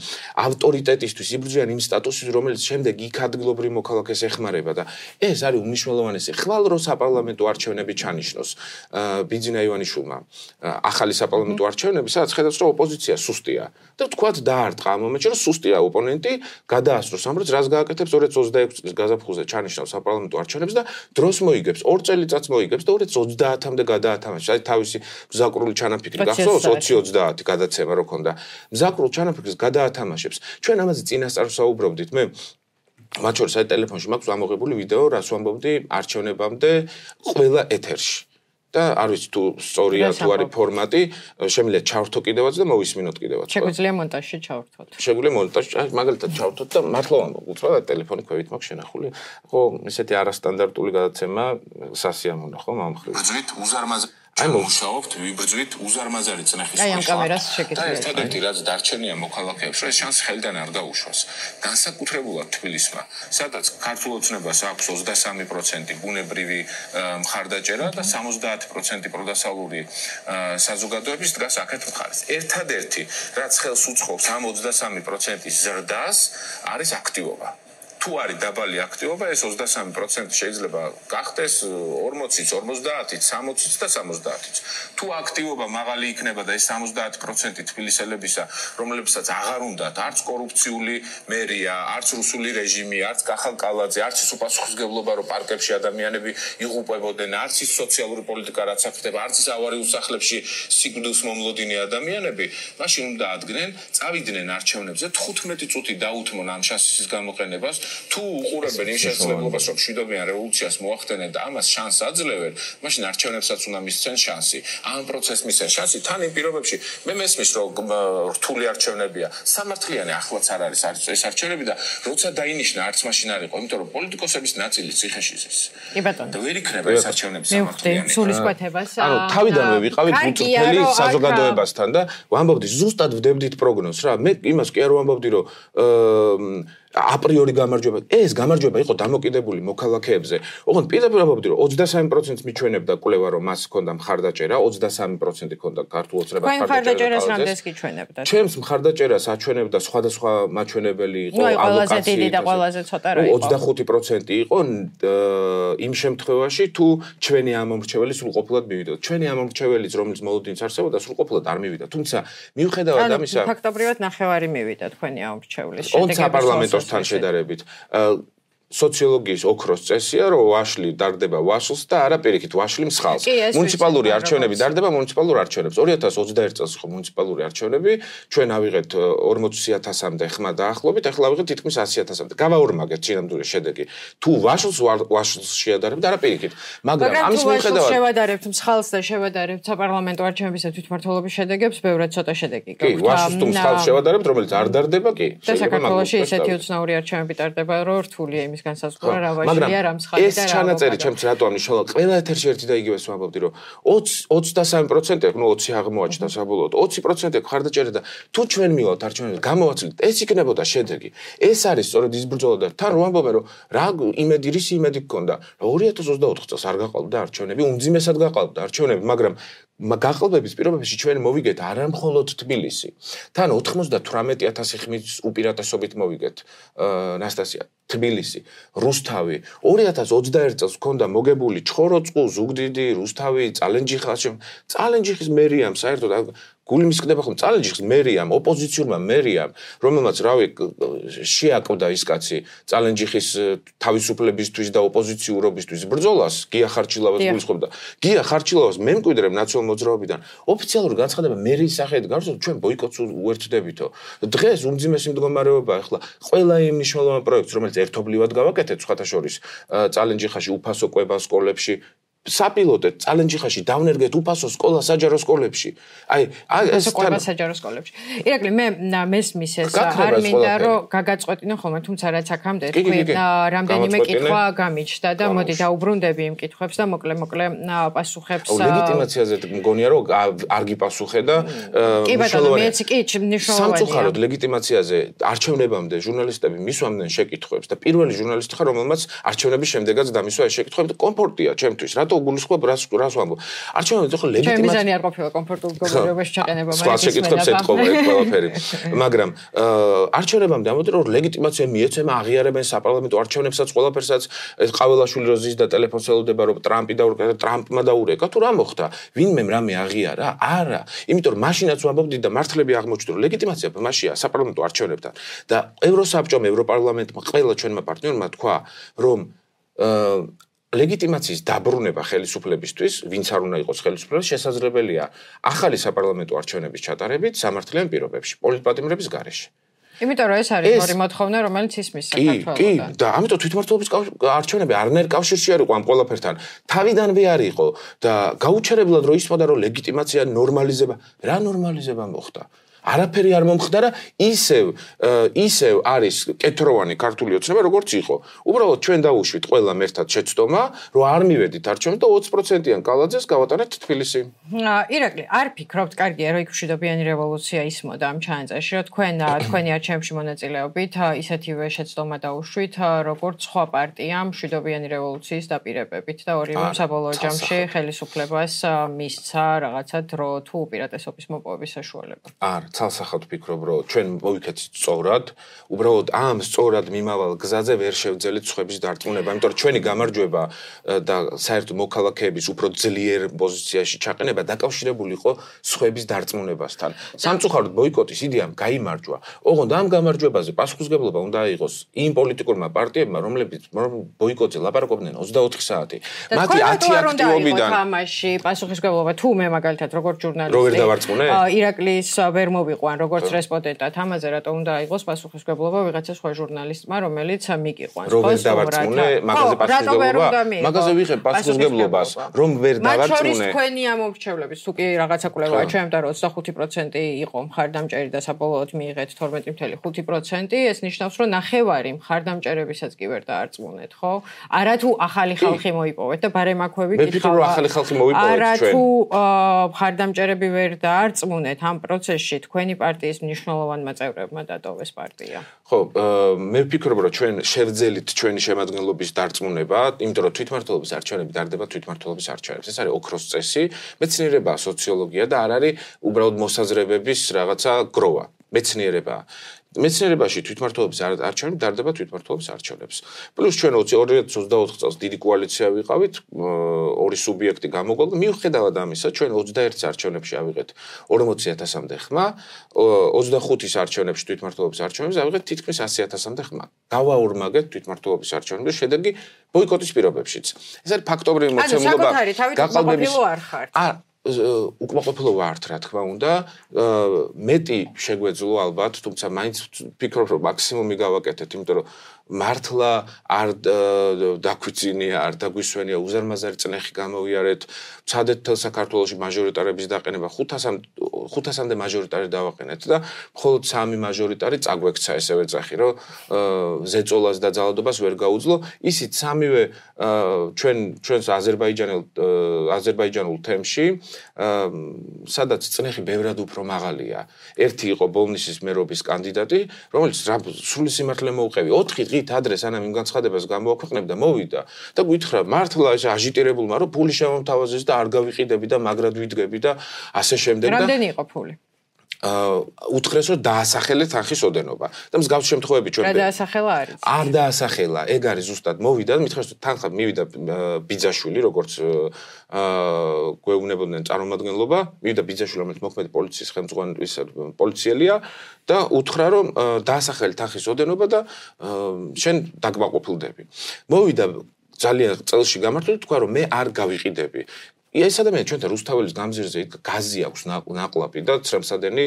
ავტორიტეტისთვის, იბრძვიან იმ სტატუსის, რომელიც შემდეგ იქ ადგილობრივ მოქალაქეს ეხმარება და ეს არის უმნიშვნელოვანესი. ხვალ რო საპარლამენტო არჩევნები ჩანიშნოს ბიძინა ივანიშვილმა ახალი საპარლამენტო არჩევნები, სადაც ხედავს რომ ოპოზიცია სუსტია და თქვათ დაარტყა ამ მომენტში რომ სუსტია ოპონენტი, გადაასწროს ამბობს, რას გააკეთებს 2026 წლის გაზაფხულზე ჩანიშნავს საპარლამენტო არჩევნებს და დროს მოიგებს, 2 წელიწადს მოიგებს და 2030-მდე გადაათამაშებს. აი თავისი მზაკრული ჩანაფიქრი გახსოვს 20-30 გადაცემა რო ქონდა. მზაკრულ ჩანაფიქრს გადაათამაშებს. ჩვენ ამაზე წინასწარ ვსაუბრობდით. მე მათ შორის აი ტელეფონში მაქვს ამოღებული ვიდეო, რას ვამბობდი არჩევნებამდე ყველა ეთერში. და არ ვიცი თუ სწორია თუ არის ფორმატი, შემიძლია ჩავრთო კიდევაც და მოვისმინოთ კიდევაც. შეგვიძლია მონტაჟში ჩავრთოთ. შეგვიძლია მონტაჟში, მაგალითად ჩავრთოთ და მართლა ვამბობ, უცბად ტელეფონი ქვევით მაქვს შენახული. ხო, ესეთი არასტანდარტული გადაცემა სასიამოვნო ხო მომხრივ. ბრძვით უზარმაზარი მუშაობთ, ვიბრძვით უზარმაზარი წნეხის აი ამ კამერას შეგიძლიათ. და ერთადერთი რაც დარჩენია მოქალაქეებს, რომ ეს შანსი ხელიდან არ დაუშვას. განსაკუთრებულად თბილისმა, სადაც ქართულ ოცნებას აქვს 23% ბუნებრივი მხარდაჭერა და 70% პროდასალური საზოგადოების დგას აქეთ მხარეს. ერთადერთი რაც ხელს უწყობს ამ 23%-ის ზრდას არის აქტივობა. თუ არის დაბალი აქტივობა, ეს 23% შეიძლება გახდეს 40-იც, 50-იც, 60-იც და 70-იც. თუ აქტივობა მაღალი იქნება და ეს 70% თბილისელებისა, რომლებსაც აღარ უნდათ არც კორუფციული მერია, არც რუსული რეჟიმი, არც კახალკალაძე, არც ის უპასუხისმგებლობა, რომ პარკებში ადამიანები იღუპებოდნენ, არც ის სოციალური პოლიტიკა, რაც ახდება, არც ის ავარიულ სახლებში სიკვდილს მომლოდინი ადამიანები, მაშინ უნდა ადგენენ, წავიდნენ არჩევნებზე 15 წუთი დაუთმონ ამ შანსის გამოყენებას. თუ უყურებენ იმ შესაძლებლობას, რომ მშვიდობიან რევოლუციას მოახდენენ და ამას შანსს აძლევენ, მაშინ არჩევნებსაც უნდა მისცენ შანსი. ამ პროცესს მისცენ შანსი თან იმ პირობებში. მე მესმის, რომ რთული არჩევნებია. სამართლიანი ახლაც არ არის ეს არჩევნები და როცა დაინიშნა არც მაშინ არ იყო, იმიტომ რომ პოლიტიკოსების ნაწილი ციხეში ზის. კი ბატონო. და ვერ იქნება ეს არჩევნები სამართლიანი. სულისკვეთებას. ანუ თავიდანვე ვიყავით უწრფელი საზოგადოებასთან და ვამბობდი ზუსტად ვდებდით პროგნოზს რა. მე იმას კი არ ვამბობდი, რომ აპრიორი გამარჯვება. ეს გამარჯვება იყო დამოკიდებული მოქალაქეებზე. ოღონდ პირდაპირ ვამბობდი, რომ 23% მიჩვენებდა კვლევა, რომ მას ჰქონდა მხარდაჭერა, 23% ჰქონდა ქართულ ოცნებას მხარდაჭერას რამდენს გიჩვენებდა? ჩემს მხარდაჭერას აჩვენებდა სხვადასხვა მაჩვენებელი იყო, ყველაზე დიდი და ყველაზე ცოტა რა იყო. 25% იყო იმ შემთხვევაში, თუ ჩვენი ამომრჩეველი სრულყოფილად მივიდა. ჩვენი ამომრჩეველიც, რომელიც მოლოდინიც არსებობდა, სრულყოფილად არ მივიდა. თუმცა მიუხედავად ამისა, ფაქტობრივად ნახევარი მივიდა თქვენი ამომრჩევლის შედეგებისგან. თან შედარებით სოციოლოგიის ოქროს წესია, რომ ვაშლი დარდება ვაშლს და არა პირიქით ვაშლი მსხალს. მუნიციპალური არჩევნები დარდება მუნიციპალურ არჩევნებს. 2021 წელს იყო მუნიციპალური არჩევნები, ჩვენ ავიღეთ 40,000-მდე ხმა დაახლოებით, ახლა ავიღეთ თითქმის 100,000-მდე. გავაორმაგეთ სინამდვილე შედეგი. თუ ვაშლს შეადარებთ, არა პირიქით. მაგრამ ამის მიუხედავად შევადარებთ მსხალს და შევადარებთ საპარლამენტო არჩევნების და თვითმმართველობის შედეგებს, ბევრად ცოტა შედეგი გაქვთ. კი, ვაშლს თუ მსხალს შევადარებთ, რომელიც არ დარდება, კი. და საქართველოში ისეთი უცნაური არჩევნები ტარდება, რომ რთულია იმის იმის განსაზღვრა რა ვაშია რა მსხალი და რა. ეს ჩანაწერი ჩემს რატო ამნიშნავდა? ყველა ეთერში ერთი და იგივეს ვამბობდი, რომ 23% ნუ 20 აღმოაჩნდა საბოლოოდ. 20% ხარდაჭერა და თუ ჩვენ მივავთ არჩევნებზე გამოვაცილეთ, ეს იქნებოდა შედეგი. ეს არის სწორედ ის ბრძოლა და თან რო ამბობენ, რომ რა იმედი რის იმედი გქონდა, რომ 2024 წელს არ გაყალბდა არჩევნები, უმძიმესად გაყალბდა არჩევნები, მაგრამ გაყალბების პირობებში ჩვენ მოვიგეთ არა მხოლოდ თბილისი. თან 98,000 ხმის უპირატესობით მოვიგეთ ნასტასია თბილისი, რუსთავი. 2021 წელს ჰქონდა მოგებული ჩხოროწყუ, ზუგდიდი, რუსთავი, წალენჯიხა. წალენჯიხის მერიამ საერთოდ გულიმის ხდება ხომ წალენჯიხის მერიამ, ოპოზიციურმა მერიამ, რომელმაც რავი შეაკვდა ის კაცი წალენჯიხის თავისუფლებისთვის და ოპოზიციურობისთვის ბრძოლას, გია ხარჩილავას გულისხმობდა. გია ხარჩილავას მე მკვიდრებ ნაციონალ მოძრაობიდან ოფიციალური განცხადება მერიის სახელით გავრცელდა, ჩვენ ბოიკოტს უერთდებითო. დღეს უმძიმესი მდგომარეობაა ახლა ყველა იმ მნიშვნელოვან პროექტს, რომელიც ერთობლივად გავაკეთეთ, სხვათა შორის წალენჯიხაში უფასო კვება სკოლებში საპილოტეთ წალენჯიხაში დავნერგეთ უფასო სკოლა საჯარო სკოლებში. აი ეს კვება საჯარო სკოლებში. ირაკლი მე მესმის ეს არ მინდა რომ გაგაწყვეტინო ხოლმე, თუმცა რაც აქამდე თქვი რამდენიმე კითხვა გამიჩნდა და მოდი დაუბრუნდები იმ კითხვებს და მოკლე პასუხებს. ლეგიტიმაციაზე მგონია რომ არ გიპასუხე და კი ბატონო მეც კი მნიშვნელოვანია. სამწუხაროდ ლეგიტიმაციაზე არჩევნებამდე ჟურნალისტები მისვამდნენ შეკითხვებს და პირველი ჟურნალისტი ხარ რომელმაც არჩევნების შემდეგაც დამისვა ეს შეკითხვები და კომფორტია ჩემთვის. რატო გულისხმობ რას ვამბობ? არჩევნები ხო ლეგიტიმაცია. ჩემი მიზანი არ ყოფილა კომფორტულ მდგომარეობაში ჩაყენება, მაგრამ შეკითხვებს ეთყობა ეს ყველაფერი. მაგრამ არჩევნებამდე ამბობდნენ რომ ლეგიტიმაცია მიეცემა, აღიარებენ საპარლამენტო არჩევნებსაც, ყველაფერსაც. ეს ყაველაშვილი რო ზის და ტელეფონს ელოდება რომ ტრამპმა დაურეკა თუ რა მოხდა? ვინმე რამე აღიარა? არა. იმიტომ რომ მაშინაც ვამბობდი და მართლები აღმოჩნდა რომ ლეგიტიმაცია მასია საპარლამენტო არჩევნებთან და ევროსაბჭომ, ევროპარლამენტმა, ყველა ჩვენმა პარტნიორმა თქვა რომ ლეგიტიმაციის დაბრუნება ხელისუფლებისთვის, ვინც არ უნდა იყოს ხელისუფლება, შესაძლებელია ახალი საპარლამენტო არჩევნების ჩატარებით სამართლიან პირობებში, პოლიტპატიმრების გარეშე. იმიტომ რომ ეს არის ორი მოთხოვნა, რომელიც ისმის საქართველოსთან. კი, და ამიტომ თვითმმართველობის არჩევნები არნაირ კავშირში არ იყო ამ ყველაფერთან. თავიდანვე არ იყო და გაუჩერებლად რო ისწოდა რომ ლეგიტიმაცია ნორმალიზება, რა ნორმალიზება მოხდა? არაფერი არ მომხდარა, ისევ არის კეთროვანი ქართული ოცნება, როგორც იყო. უბრალოდ ჩვენ დავუშვით ყველამ ერთად შეცდომა, რომ არ მივედით არჩევნებს და 20%-იან კალაძეს გავატანეთ თბილისი. ირაკლი, არ ფიქრობთ, კარგია, რომ იქ მშვიდობიანი რევოლუცია ისმოდა ამ ჩანაწერში, რომ თქვენი არჩევნებში მონაწილეობით ისეთივე შეცდომა დაუშვით, როგორც სხვა პარტიამ მშვიდობიანი რევოლუციის დაპირებებით და ორივე საბოლოო ჯამში ხელისუფლებას მისცა რაღაცა დრო თუ უპირატესობის მოპოვების საშუალება. ცალსახად ვფიქრობ, რომ ჩვენ მოვიქეცით სწორად, უბრალოდ ამ სწორად მიმავალ გზაზე ვერ შევძელით სხვების დარწმუნება, იმიტომ რომ ჩვენი გამარჯვება და საერთოდ მოქალაქეების უფრო ძლიერ პოზიციაში ჩაყენება დაკავშირებული იყო სხვების დარწმუნებასთან. სამწუხაროდ ბოიკოტის იდეამ გაიმარჯვა. ოღონდ ამ გამარჯვებაზე პასუხისმგებლობა უნდა იყოს იმ პოლიტიკურმა პარტიებმა, რომლებიც ბოიკოტზე ლაპარაკობდნენ 24 საათი. მათი 10 აქტივობიდან თამაში პასუხისმგებლობა თუ მე მაგალითად როგორც ჟურნალისტი რო ვერ დავარწმუნე? ირაკლის ვერ მოვიყვან როგორც რესპონდენტად, ამაზე რატო უნდა იყოს პასუხისმგებლობა ვიღაცა სხვა ჟურნალისტმა, რომელიც მიგიყვანს. რომ ვერ დავარწმუნე, მაგაზე პასუხისმგებლობა, მაგაზე ვიღებ პასუხისმგებლობას, რომ ვერ დავარწმუნე. მათ შორის თქვენი ამომრჩევლების თუ კი რაღაცა კვლევაა ჩემთან, რომ 25% იყო მხარდამჭერი და საბოლოოდ მიიღეთ 12.5%, ეს ნიშნავს, რომ ნახევარი მხარდამჭერებისაც კი ვერ დაარწმუნეთ, ხო? არა თუ ახალი ხალხი მოიპოვეთ და ბარემ აქვე ვიკითხავ. მე ვფიქრობ, რომ ახალი ხალხი მოიპოვეთ ჩვენ. არა თუ მხარდამჭერები ვერ დაარწმუნეთ ამ პროცესში თქვენი პარტიის მნიშვნელოვანმა წევრებმა დატოვეს პარტია. ხო, მე ვფიქრობ, რომ ჩვენ შევძელით ჩვენი შემადგენლობის დარწმუნება, იმიტომ რომ თვითმმართველობის არჩევნები დარდება თვითმმართველობის არჩევნებს. ეს არის ოქროს წესი, მეცნიერებაა, სოციოლოგია და არ არის უბრალოდ მოსაზრებების რაღაცა გროვა. მეცნიერებაა. მეცნიერებაში თვითმმართველობის არჩევნები დარდება თვითმმართველობის არჩევნებს. პლუს ჩვენ 2024 წელს დიდი კოალიცია ვიყავით, ორი სუბიექტი გამოგვალ და მიუხედავად ამისა, ჩვენ 21 არჩევნებში ავიღეთ 40,000-მდე ხმა, 25-ის არჩევნებში თვითმმართველობის არჩევნებს ავიღეთ თითქმის 100,000-მდე ხმა. გავაორმაგეთ თვითმმართველობის არჩევნებს, შედეგი ბოიკოტის პირობებშიც. ეს არის ფაქტობრივი მოცემულობა. გაყალბების არ ხართ. უკმაყოფილო ვართ, რა თქმა უნდა, მეტი შეგვეძლო ალბათ, თუმცა მაინც ვფიქრობ, რომ მაქსიმუმი გავაკეთეთ, იმიტომ რომ მართლა არ დაგვიძინია, არ დაგვისვენია, უზარმაზარი წნეხი გამოვიარეთ, ვცადეთ თელ საქართველოში მაჟორიტარების დაყენება, 500-მდე მაჟორიტარი დავაყენეთ და მხოლოდ 3 მაჟორიტარი წაგვექცა ესევე წახი, რომ ზეწოლას და ძალადობას ვერ გაუძლო. ისიც სამივე ჩვენს აზერბაიჯანულ თემში, სადაც წნეხი ბევრად უფრო მაღალია. ერთი იყო ბოლნისის მერობის კანდიდატი, რომელიც სრული სიმართლე მოუყევი 4 დღით ადრე სანამ იმ განცხადებას გამოაქვეყნებდა, მოვიდა და გითხრა მართლა ეს აჟიტირებულმა რომ ფული შემომთავაზეს და არ გავიყიდები და მაგრად ვიდგები და ასე შემდეგ და რამდენი იყო ფული? უთხრეს რომ დაასახელეთ თანხის ოდენობა და მსგავს შემთხვევები ჩვენ რა დაასახელა არის? არ დაასახელა, ეგ არის ზუსტად მოვიდა და მითხრეს რომ თანხა მივიდა ბიძაშვილი, როგორც გვეუბნებოდნენ წარმომადგენლობა, მივიდა ბიძაშვილი, რომელიც მოქმედი პოლიციის ხელმძღვანელის პოლიციელია და უთხრა რომ დაასახელეთ თანხის ოდენობა და შენ დაგმაყოფილდები. მოვიდა ძალიან წელში გამართული, თქვა რომ მე არ გავიყიდები. ეს ადამიანი ჩვენთან რუსთაველის გამზირზე გაზი აქვს ნაყლაპი და ცრემსადენი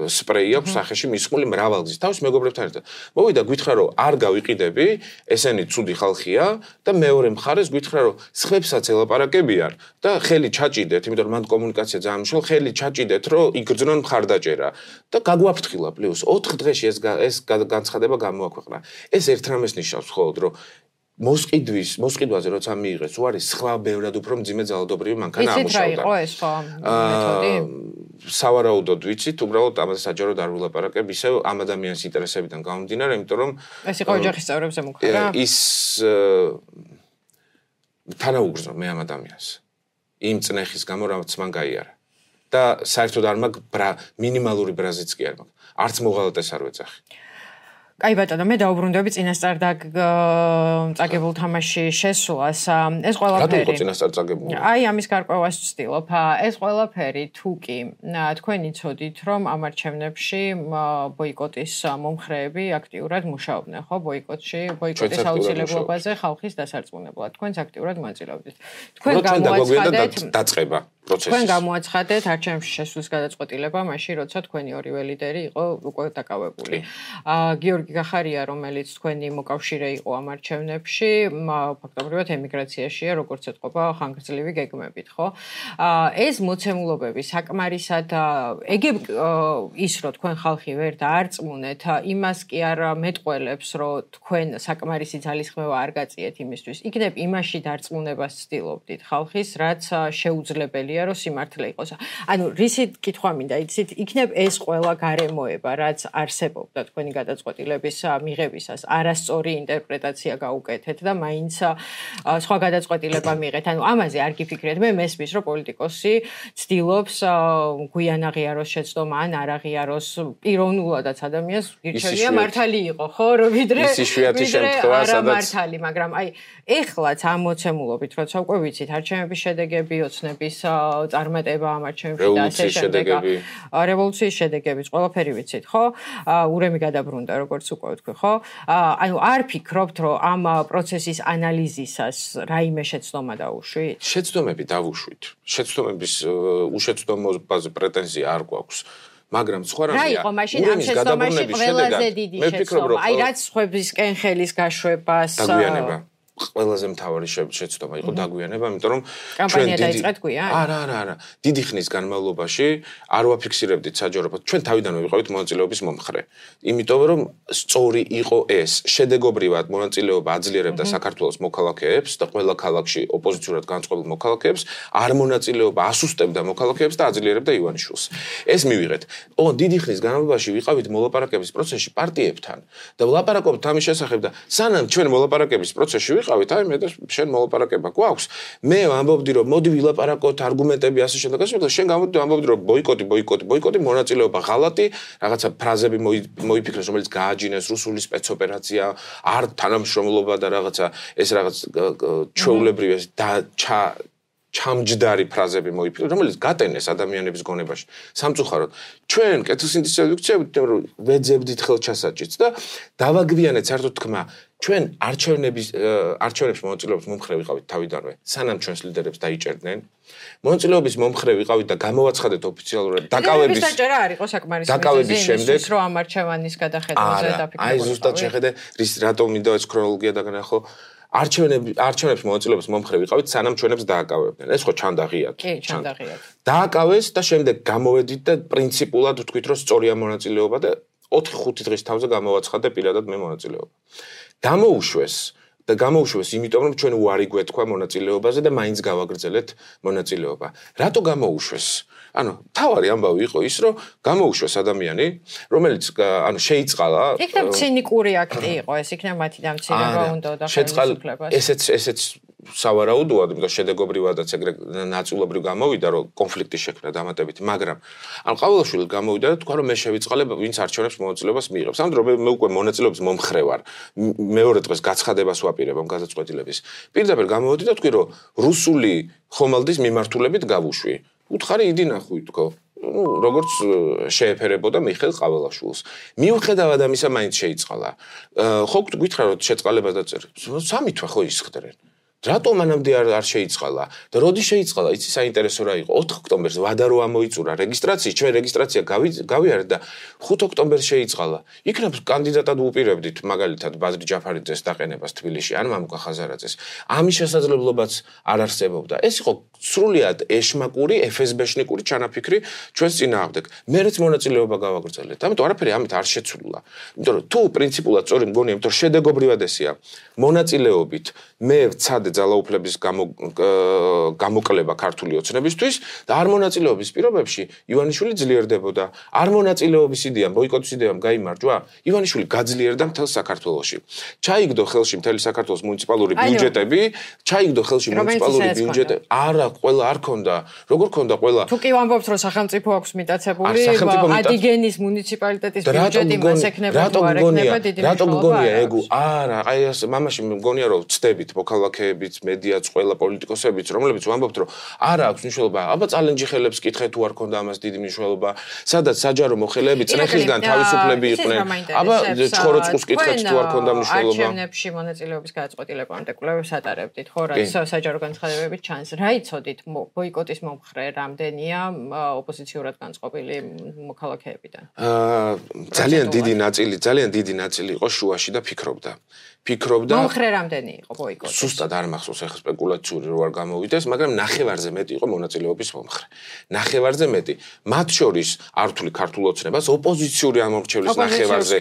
სპრეი აქვს სახეში მისხმული მრავალგზის თავის მეგობრებთან ერთად. მოვიდა გითხრა რომ არ გავიყიდები, ესენი ცუდი ხალხია და მეორე მხარეს გითხრა რომ სხვებსაც ელაპარაკებიან და ხელი ჩაჭიდეთ, იმიტომ რომ მან კომუნიკაცია ძალიან მნიშვნელოვანი, ხელი ჩაჭიდეთ რომ იგრძნონ მხარდაჭერა და გაგვაფრთხილა პლუს 4 დღეში ეს განცხადება გამოაქვეყნა. ეს ერთ რამეს ნიშნავს მხოლოდ რომ მოსყიდვაზე როცა მიიღეს უარი სხვა ბევრად უფრო მძიმე ძალადობრივი მანქანა ამუშავდა. იცით რა იყო ეს ხო მეთოდი? სავარაუდოდ ვიცით, უბრალოდ ამაზე საჯარო არ ვილაპარაკებ, ისევ ამ ადამიანის ინტერესებიდან გამომდინარე, იმიტომ რომ ეს იყო ოჯახის წევრებზე მუქრა? ის თანაუგრძნო მე ამ ადამიანს. იმ წნეხის გამო რაც მან გაიარა. და საერთოდ არ მაქვს მინიმალური ბრაზიც კი არ მაქვს. არც მოღალატეს არ ვეძახი. Აი ბატონო, მე დაუბრუნდები წინასწარ წაგებულ თამაში შესვლას. ეს ყველაფერი. რატო იყო წინასწარ წაგებული? აი ამის გარკვევას ვცდილობ. ეს ყველაფერი თუ კი თქვენი ცოდით, რომ ამ არჩევნებში ბოიკოტის მომხრეები აქტიურად მუშაობდნენ, ხო? ბოიკოტის აუცილებლობაზე ხალხის დასარწმუნებლად. თქვენც აქტიურად მონაწილეობდით. თქვენ გამოაცხადეთ დაწყება პროცესის. თქვენ გამოაცხადეთ არჩევნებში შესვლის გადაწყვეტილება, მაშინ როცა თქვენი ორივე ლიდერი იყო უკვე დაკავებული. გიორგი გახარია, რომელიც თქვენი მოკავშირე იყო ამ არჩევნებში, ფაქტობრივად ემიგრაციაშია, როგორც ეთყობა ხანგრძლივი გეგმებით, ხო? ეს მოცემულობები საკმარისად ეგებ ის რომ თქვენ ხალხი ვერ დაარწმუნეთ, იმას კი არ მეტყველებს, რომ თქვენ საკმარისი ძალისხმევა არ გაწიეთ იმისთვის. იქნებ იმაში დარწმუნებას ცდილობდით ხალხის, რაც შეუძლებელია, რომ სიმართლე იყოს. ანუ რისი კითხვა მინდა, იცით, იქნებ ეს ყველა გარემოება, რაც არსებობდა თქვენი გადაწყვეტილების მიღებისას არასწორი ინტერპრეტაცია გაუკეთეთ და მაინც სხვა გადაწყვეტილება მიიღეთ. ანუ ამაზე არ გიფიქრეთ. მე მესმის, რომ პოლიტიკოსი ცდილობს გვიან აღიაროს შეცდომა ან არ აღიაროს პიროვნულადაც ადამიანს გირჩევია მართალი იყო, ხო, რომ ვიდრე მართალი, მაგრამ აი ეხლაც ამ მოცემულობით, როცა უკვე ვიცით არჩევნების შედეგები, ოცნების წარმატება ამ არჩევნებში და ასე შემდეგ, რევოლუციის შედეგებიც ყველაფერი ვიცით, ხო? ურემი გადაბრუნდა, როგორც უკვე ვთქვი, ხო? ანუ არ ფიქრობთ, რომ ამ პროცესის ანალიზისას რაიმე შეცდომა დაუშვით? შეცდომები დავუშვით. შეცდომების უშეცდომობაზე პრეტენზია არ გვაქვს. მაგრამ სხვა რამეა. რა იყო მაშინ ამ შეცდომაში ყველაზე დიდი შეცდომა? აი რაც სხვებისკენ ხელის გაშვებას დაგვიანება. ყველაზე მთავარი შეცდომა იყო დაგვიანება, იმიტომ რომ კამპანია დაიწყეთ გვიან? არა. დიდი ხნის განმავლობაში არ ვაფიქსირებდით საჯაროდ. ჩვენ თავიდანვე ვიყავით მონაწილეობის მომხრე. იმიტომ რომ სწორი იყო ეს. შედეგობრივად მონაწილეობა აძლიერებდა საქართველოს მოქალაქეებს და ყველა ქალაქში ოპოზიციურად განწყობილ მოქალაქეებს, არ მონაწილეობა ასუსტებდა მოქალაქეებს და აძლიერებდა ივანიშვილს. ეს მივიღეთ. დიდი ხნის განმავლობაში ვიყავით მოლაპარაკების პროცესში პარტიებთან და ვლაპარაკობთ ამის შესახებ და სანამ ჩვენ მოლაპარაკების პროცესში ვიყავით, აი მე და შენ მოლაპარაკება გვაქვს. მე ამბობდი რომ მოდი ვილაპარაკოთ, არგუმენტები ასე შემდეგ, შენ გამოდდი ამბობდი რომ ბოიკოტი, მონაწილეობა ღალატი, რაღაცა ფრაზები მოიფიქრეს, რომელიც გააჯინეს რუსული სპეცოპერაცია, არ თანამშრომლობა და რაღაცა ეს რაღაც ჩვეულებრივი და ჩამჯდარი ფრაზები მოიფიქრეს, რომელიც გატენეს ადამიანების გონებაში. სამწუხაროდ, ჩვენ კეთილსინთეზის რედაქციებით ვეძებდით ხელჩასაჭიც და დავაგვიანეთ საერთოდ თქმა ჩვენ არჩევნებში მონაწილეობის მომხრე ვიყავით თავიდანვე, სანამ ჩვენს ლიდერებს დაიჭერდნენ. მონაწილეობის მომხრე ვიყავით და გამოვაცხადეთ ოფიციალურად დაკავების დაჭერა არ იყო საკმარისი შემდეგ რომ ამ არჩევანის გადახედვაზე დაფიქრებული. აი ზუსტად შეხედე, რატომ მინდა ეს ქრონოლოგია დაგნახო. არჩევნებში მონაწილეობის მომხრე ვიყავით, სანამ ჩვენებს დააკავებდნენ. ეს ხო ჩანდაღიათ. კი, ჩანდაღიათ. დააკავეს და შემდეგ გამოვედით და პრინციპულად ვთქვით, რომ სწორია მონაწილეობა და 4-5 დღის თავზე გამოვაცხადე პირადად მე მონაწილეობა. გამოუშვეს, იმიტომ რომ ჩვენ უარი გვეთქვა მონაწილეობაზე და მაინც გავაგრძელეთ მონაწილეობა. რატო გამოუშვეს? თავარი ამბავი იყო ის, რომ გამოუშვეს ადამიანი, რომელიც შეიწყალა. იქნებ ცინიკური აქტი იყო, ეს იქნებ მათი დამცირება უნდა და ხელისუფლებას. ესეც სავარაუდოა, იმიტომ რომ შედეგობრივადაც ეგრე ნაწილობრივ გამოვიდა, რომ კონფლიქტი შექმნა დამატებითი, მაგრამ ყოველშვილი გამოვიდა და თქვა, რომ მე შევიწყალე, ვინც არჩევნებს მონაწილეობას მიიღებს. ამ დროს მე უკვე მონაწილეობის მომხრე ვარ. მეორე დღეს გაცხადებას ვაპირებ ამ გადაწყვეტილების. პირდაპირ გამოვედი და თქვი, რომ რუსული ხომალდის მიმართულებით გავუშვი. უთხარი იდი ნახვი თქო. როგორც შეეფერებოდა მიხეილ ყაველაშვილს. მიუხედავად ამისა მაინც შეიწყალა. ხო გითხრა რომ შეწყალებას დაწერე. 3 თვე ხო ისხდრენ. რატომ მანამდე არ შეიწყალა და როდის შეიწყალა? იცი საინტერესო რა იყო? 4 ოქტომბერს ვადა რო ამოიწურა რეგისტრაცია, ჩვენ რეგისტრაცია გავიარეთ და 5 ოქტომბერს შეიწყალა. იქნებ კანდიდატად უპირებდით მაგალითად ბაზრი ჯაფარიძეს დაყენებას თბილისში ან მამუკა ხაზარაძეს. ამის შესაძლებლობაც არ არსებობდა. ეს იყო სრულიად ეშმაკური, FSB-შნიკური ჩანაფიქრი ჩვენს წინააღმდეგ. მერეც მონაწილეობა გავაგრძელეთ. ამიტომ არაფერი ამით არ შეცვლილა. იმიტომ რომ თუ პრინციპულად სწორი მგონია, იმიტომ რომ შედეგობრივად ესეა. მონაწილეობით მე ვცადე ძალაუფლების გამოკლება ქართული ოცნებისთვის და არ მონაწილეობის პირობებში ივანიშვილი ძლიერდებოდა. არ მონაწილეობის იდეამ, ბოიკოტის იდეამ გაიმარჯვა, ივანიშვილი გაძლიერდა მთელ საქართველოში. ჩაიგდო ხელში მთელი საქართველოს მუნიციპალური ბიუჯეტები, არა, ყველა არ ქონდა. როგორ ქონდა ყველა? თუ კი ვამბობთ, რომ სახელმწიფო აქვს მიტაცებული, ადიგენის მუნიციპალიტეტის ბიუჯეტი მას ექნება თუ არ ექნება, დიდი მნიშვნელობა ეგ არა, აი ეს მამაში მგონია რომ ვწდებით მოქალაქეებიც, მედიაც, ყველა პოლიტიკოსებიც, რომლებიც ვამბობთ, რომ არა აქვს მნიშვნელობა. აბა წალენჯი ხელებს კითხეთ თუ არ ქონდა ამას დიდი მნიშვნელობა. სადაც საჯარო მოხელეები წრეხისგან თავისუფლები იყვნენ. აბა ჩხოროწყუს კითხეთ თუ არ ქონდა მნიშვნელობა. არჩევნებში მონაწილეობის გადაწყვეტილებამდე კვლევებს ატარებდით, ხო, რაც საჯარო განცხადებებით ჩანს. რა იცოდით ბოიკოტის მომხრე რამდენია ოპოზიციურად განწყობილი მოქალაქეებიდან? ძალიან დიდი ნაწილი იყო შუაში და ფიქრობდა. მომხრე რამდენი იყო ბოიკოტი? სუსტად არ მახსოვს, ახლა სპეკულაციური რო არ გამოვიდეს, მაგრამ ნახევარზე მეტი იყო მონაწილეობის momხრე. ნახევარზე მეტი. მათ შორის არ ვთვლი ქართულ ოცნებას, ოპოზიციური ამომრჩევლის ნახევარზე,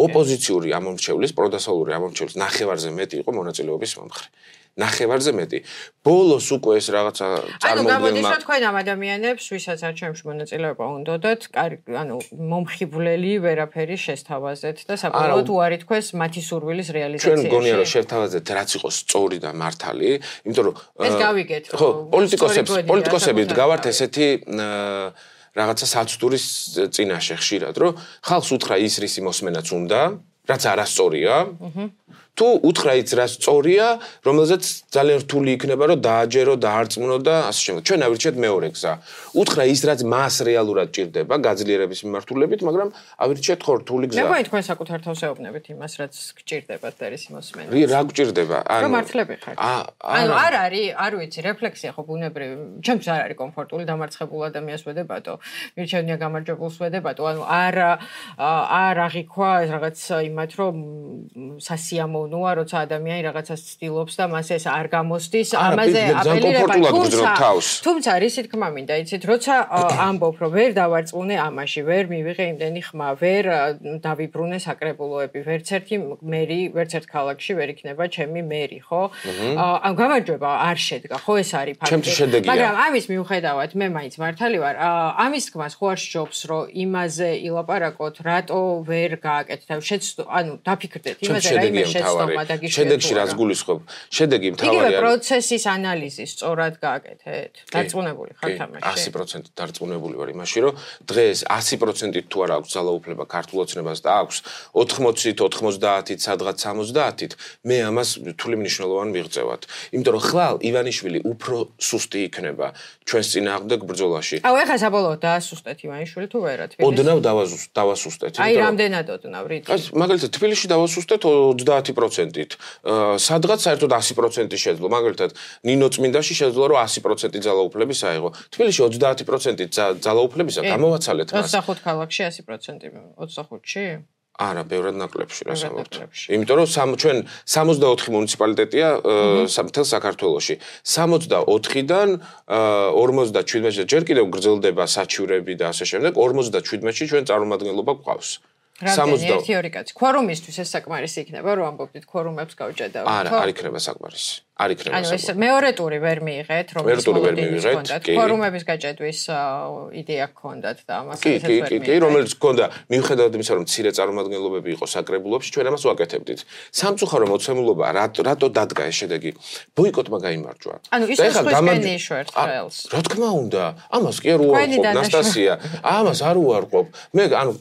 ოპოზიციური ამომრჩევლის, პროდასავლური ამომრჩევლის ნახევარზე მეტი იყო მონაწილეობის momხრე. ნახევარზე მეტი. ბოლოს უკვე ეს რაღაცა წარმოუდგენელია. გამოდის რომ თქვენ ამ ადამიანებს, ვისაც არჩევნებში მონაწილეობა უნდათ, მომხიბვლელი ვერაფერი შესთავაზეთ და საბოლოოდ უარი თქვეს მათი სურვილის რეალიზაციაში. ჩვენ მგონია რომ შევთავაზეთ რაც იყო სწორი და მართალი, იმიტომ რომ ეს გავიგეთ. ხო, პოლიტიკოსები დგავართ ესეთი რაღაცა საცდურის წინაშე ხშირად, რომ ხალხს უთხრა ის რისი მოსმენაც უნდა, რაც არასწორია. თუ უთხრა ის რაც სწორია, რომელზეც ძალიან რთული იქნება რომ დააჯერო, დაარწმუნო და ასე შემდეგ. ჩვენ ავირჩიეთ მეორე გზა. უთხრა ის რაც მას რეალურად ჭირდება გაძლიერების მიმართულებით, მაგრამ ავირჩიეთ ხო რთული გზა. მე გვაი თქვენ საკუთარ თავს ეუბნებით იმას, რაც გჭირდებათ და ის მოსმენა. რა გჭირდება? რომ მართლები ხართ. არ არის, არ ვიცი, რეფლექსია ხო ბუნებრივი. ჩემს არ არის კომფორტული დამარცხებულ ადამიანს ვედებათო, მირჩევნია გამარჯვებულს ვედებათო. არ აღიქვა რაღაც იმათ რომ სასიამოვნოა, როცა ადამიანი რაღაცას ცდილობს და მას ეს არ გამოსდის, ამაზე აპელირება. თუმცა რისი თქმა მინდა, იცით, როცა ამბობ, რომ ვერ დავარწმუნე ამაში, ვერ მივიღე იმდენი ხმა, ვერ დავიბრუნე საკრებულოები, ვერც ერთი მერი, ვერც ერთ ქალაქში ვერ იქნება ჩემი მერი, ხო? ამ გამარჯვება არ შედგა, ხო, ეს არის ფაქტი. მაგრამ ამის მიუხედავად, მე მაინც მართალი ვარ. ამის თქმას ხო არ სჯობს, რომ იმაზე ილაპარაკოთ, რატო ვერ გააკეთეთ. დაფიქრდეთ იმაზე, რა იმას შეცდომა და გიშვიათ. შედეგში რაც გულისხმობ, შედეგი მთავარი არის. იგივე პროცესის ანალიზი სწორად გააკეთეთ. დარწმუნებული ხართ ამაში? 100% დარწმუნებული ვარ იმაში, რომ დღეს 100%-ით თუ არ აქვს ძალაუფლება ქართულ ოცნებას და აქვს 80-ით, 90-ით, სადღაც 70-ით, მე ამას რთული მნიშვნელოვანი მიღწევად. იმიტომ რომ ხვალ ივანიშვილი უფრო სუსტი იქნება ჩვენს წინააღმდეგ ბრძოლაში. ეხლა საბოლოოდ დაასუსტეთ ივანიშვილი თუ ვერა თბილისში? ოდნავ დავასუსტეთ. აი რამდენად ოდნავ რითი? მაგალითად თბილისში დავასუსტეთ 30%. 100%-ით, სადღაც საერთოდ 100% შეძლო. მაგალითად, ნინო წმინდაში შეძლო რომ 100% ძალაუფლების აიღო. თბილისში 30%-ით ძალაუფლებისა გამოვაცალეთ მას. 25 ქალაქში 100%, 25-ში? არა, ბევრად ნაკლებში რა საბოლოოდ. იმიტომ რომ ჩვენ 64 მუნიციპალიტეტია მთელ საქართველოში. 64-დან 57-ში ჯერ კიდევ გრძელდება საჩივრები და ასე შემდეგ, 57-ში ჩვენ წარმომადგენლობა გვყავს. რამდენი 1-2 კაცი. ქვორუმისთვის ეს საკმარისი იქნება, რომ ამბობდით ქვორუმებს გავჭედავთ. არა, არ იქნება საკმარისი. არ იქნება. ანუ ეს მეორე ტური ვერ მიიღეთ, რომ ის მოვიდეთ. ქვორუმების გაჭედვის იდეა გქონდათ და ამას ესეც ვერ მიიღეთ. კი, რომელიც გქონდა, მიუხედავად იმისა, რომ მცირე წარმომადგენლობები იყო საკრებულოში, ჩვენ ამას ვაკეთებდით. სამწუხარო მოცემულობა რატო დადგა ეს შედეგი? ბოიკოტმა გაიმარჯვა. ანუ ის სხვისკენი იშვერთ ხელს. რა თქმა უნდა, ამას კი არ უარყოფ, ნასტასია. ამას არ უარყოფ. მე ანუ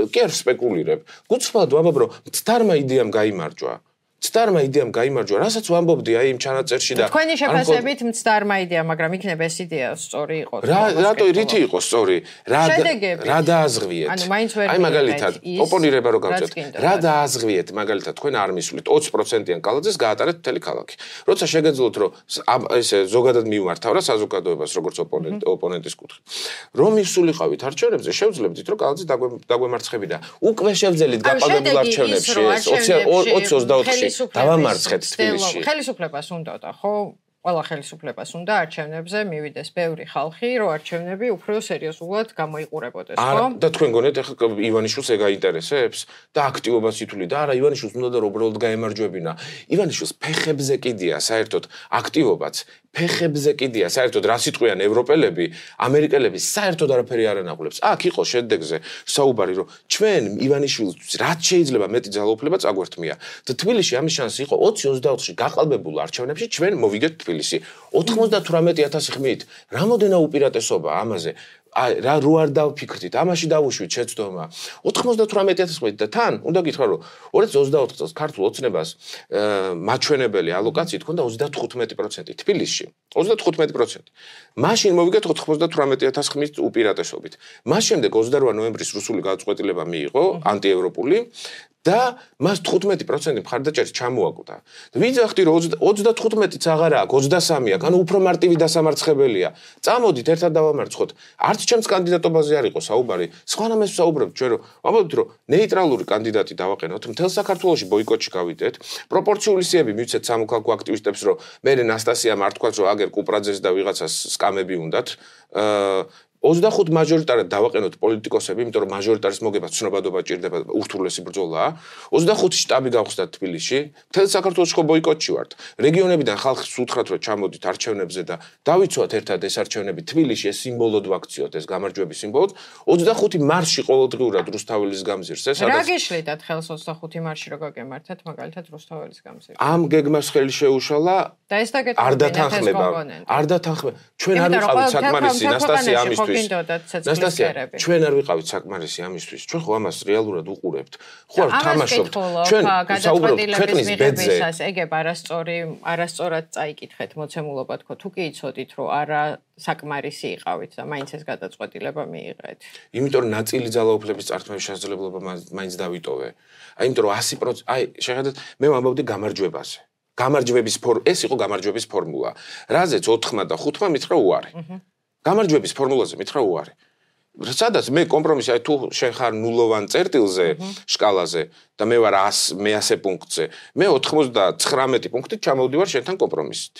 კი არ სპეკულირებ. გუცხლად ვამბობ, რომ მცდარმა იდეამ გაიმარჯვა. მცდარმა იდეამ გაიმარჯვა, რასაც ვამბობდი აი იმ ჩანაწერში და თქვენი შეფასებით მცდარმა იდეა, მაგრამ იქნება ეს იდეა სწორი იყო. რატო რითი იყო სწორი? რა დააზღვიეთ? აი მაგალითად, ოპონირება რო გავწევთ. რა დააზღვიეთ? მაგალითად, თქვენ არ მისვლით 20%-იან კალაძეს გაატარეთ მთელი ქალაქი. როცა შეგეძლოთ, რომ ესე ზოგადად მივმართავ რა საზოგადოებას, როგორც ოპონენტის კუთხით. რომ მისულიყავით არჩევნებზე, შევძლებდით, რომ კალაძე დაგვემარცხებინა. უკვე შევძელით გაყალბებულ არჩევნებში 20-24-ში დავამარცხეთ თბილისში. ხელისუფლებას უნდოდა, ხო? ყველა ხელისუფლებას უნდა არჩევნებზე მივიდეს ბევრი ხალხი, რომ არჩევნები უფრო სერიოზულად გამოიყურებოდეს, ხო? და თქვენ გონიათ ახლა ივანიშვილს ეგ აინტერესებს და აქტივობას ითვლიდა, არა, ივანიშვილს უნდა და უბრალოდ გაემარჯვებინა. ივანიშვილს ფეხებზე კიდია საერთოდ აქტივობაც, ფეხებზე კიდია საერთოდ რა სიტყვიან ევროპელები, ამერიკელები საერთოდ არაფერი არ ანაღვლებს. აქ იყო შედეგზე საუბარი, რომ ჩვენ ივანიშვილს რაც შეიძლება მეტი ძალაუფლება წაგვერთმია. და თბილისში ამის შანსი იყო 20-24-ში გაყალბებულ არჩევნებში ჩვენ მოვიგეთ თბილისი 98,000 ხმით. რამოდენა უპირატესობა ამაზე. რა რო არ დავფიქრდით, ამაში დავუშვით შეცდომა. 98,000 ხმით და თან უნდა გითხრა, რომ 2024 წელს ქართულ ოცნებას მაჩვენებელი ალოკაციით ჰქონდა 35% თბილისში. 35%. მაშინ მოვიგეთ 98,000 ხმის უპირატესობით. მას შემდეგ 28 ნოემბრის რუსული გადაწყვეტილება მიიღო ანტიევროპული და მას 15% მხარდაჭერით ჩამოაკვდა. ვიძახდი რომ 35-იც აღარა აქვს, 23 აქვს, ანუ უფრო მარტივი დასამარცხებელია. წამოდით ერთად დავამარცხოთ. არც ჩემს კანდიდატობაზე არ იყო საუბარი. სხვანაირად საუბრობთ ჩვენ რომ ვამბობთ რომ ნეიტრალური კანდიდატი დავაყენოთ, მთელ საქართველოში ბოიკოტში გავიდეთ. პროპორციული სიები მივცეთ სამოქალაქო აქტივისტებს რომ მე ნასტასიამ არ თქვა რომ აგერ კუპრაძეს და ვიღაცას სკამები უნდათ. 25 მაჟორიტარად დავაყენოთ პოლიტიკოსები, იმიტომ რომ მაჟორიტარის მოგება ცნობადობა ჭირდება, ურთულესი ბრძოლაა. 25 შტაბი გავხსნა თბილისში. მთელ საქართველოში ხო ბოიკოტში ვართ. რეგიონებიდან ხალხს უთხრათ რომ ჩამოდით არჩევნებზე და დავიცვათ ერთად ეს არჩევნები თბილისში, ეს სიმბოლოდ ვაქციოთ, ეს გამარჯვების სიმბოლოდ. 25 მარში ყოველდღიურად რუსთაველის გამზირს. ეს რა გიშლიდათ ხელს 25 მარში რო გაგემართათ, მაგალითად რუსთაველის გამზირს. ამ გეგმას ხელი შეუშალა და ეს დაგეთქვი. არ დათანხმება. ჩვენ არ ვიყავით საკმარისი ნასტასია ამისთვის. ნასტასია, ჩვენ არ ვიყავით საკმარისი ამისთვის. ჩვენ ხო ამას რეალურად უყურებთ. ხო არ თამაშობთ. ჩვენ საუბრობთ ქვეყნის ბედზე. ეგებ არასწორად წაიკითხეთ მოცემულობა თქო, თუ კი იცოდით, რომ არა საკმარისი იყავით და მაინც ეს გადაწყვეტილება მიიღეთ. იმიტომ რომ ნაწილი ძალაუფლების წართმევის შესაძლებლობა მაინც დავიტოვე. იმიტომ რომ 100%, აი, შეხედეთ, მე ვამბობდი გამარჯვებაზე. გამარჯვების ეს იყო გამარჯვების ფორმულა. რაზეც 4-მა და 5-მა მითხრა უარი. გამარჯვების ფორმულაზე მითხრა უარი. სადაც მე კომპრომისი, აი თუ შენ ხარ ნულოვან წერტილზე, შკალაზე და მე ვარ 100 პუნქტზე, მე 99 პუნქტით ჩამოვდივარ შენთან კომპრომისით.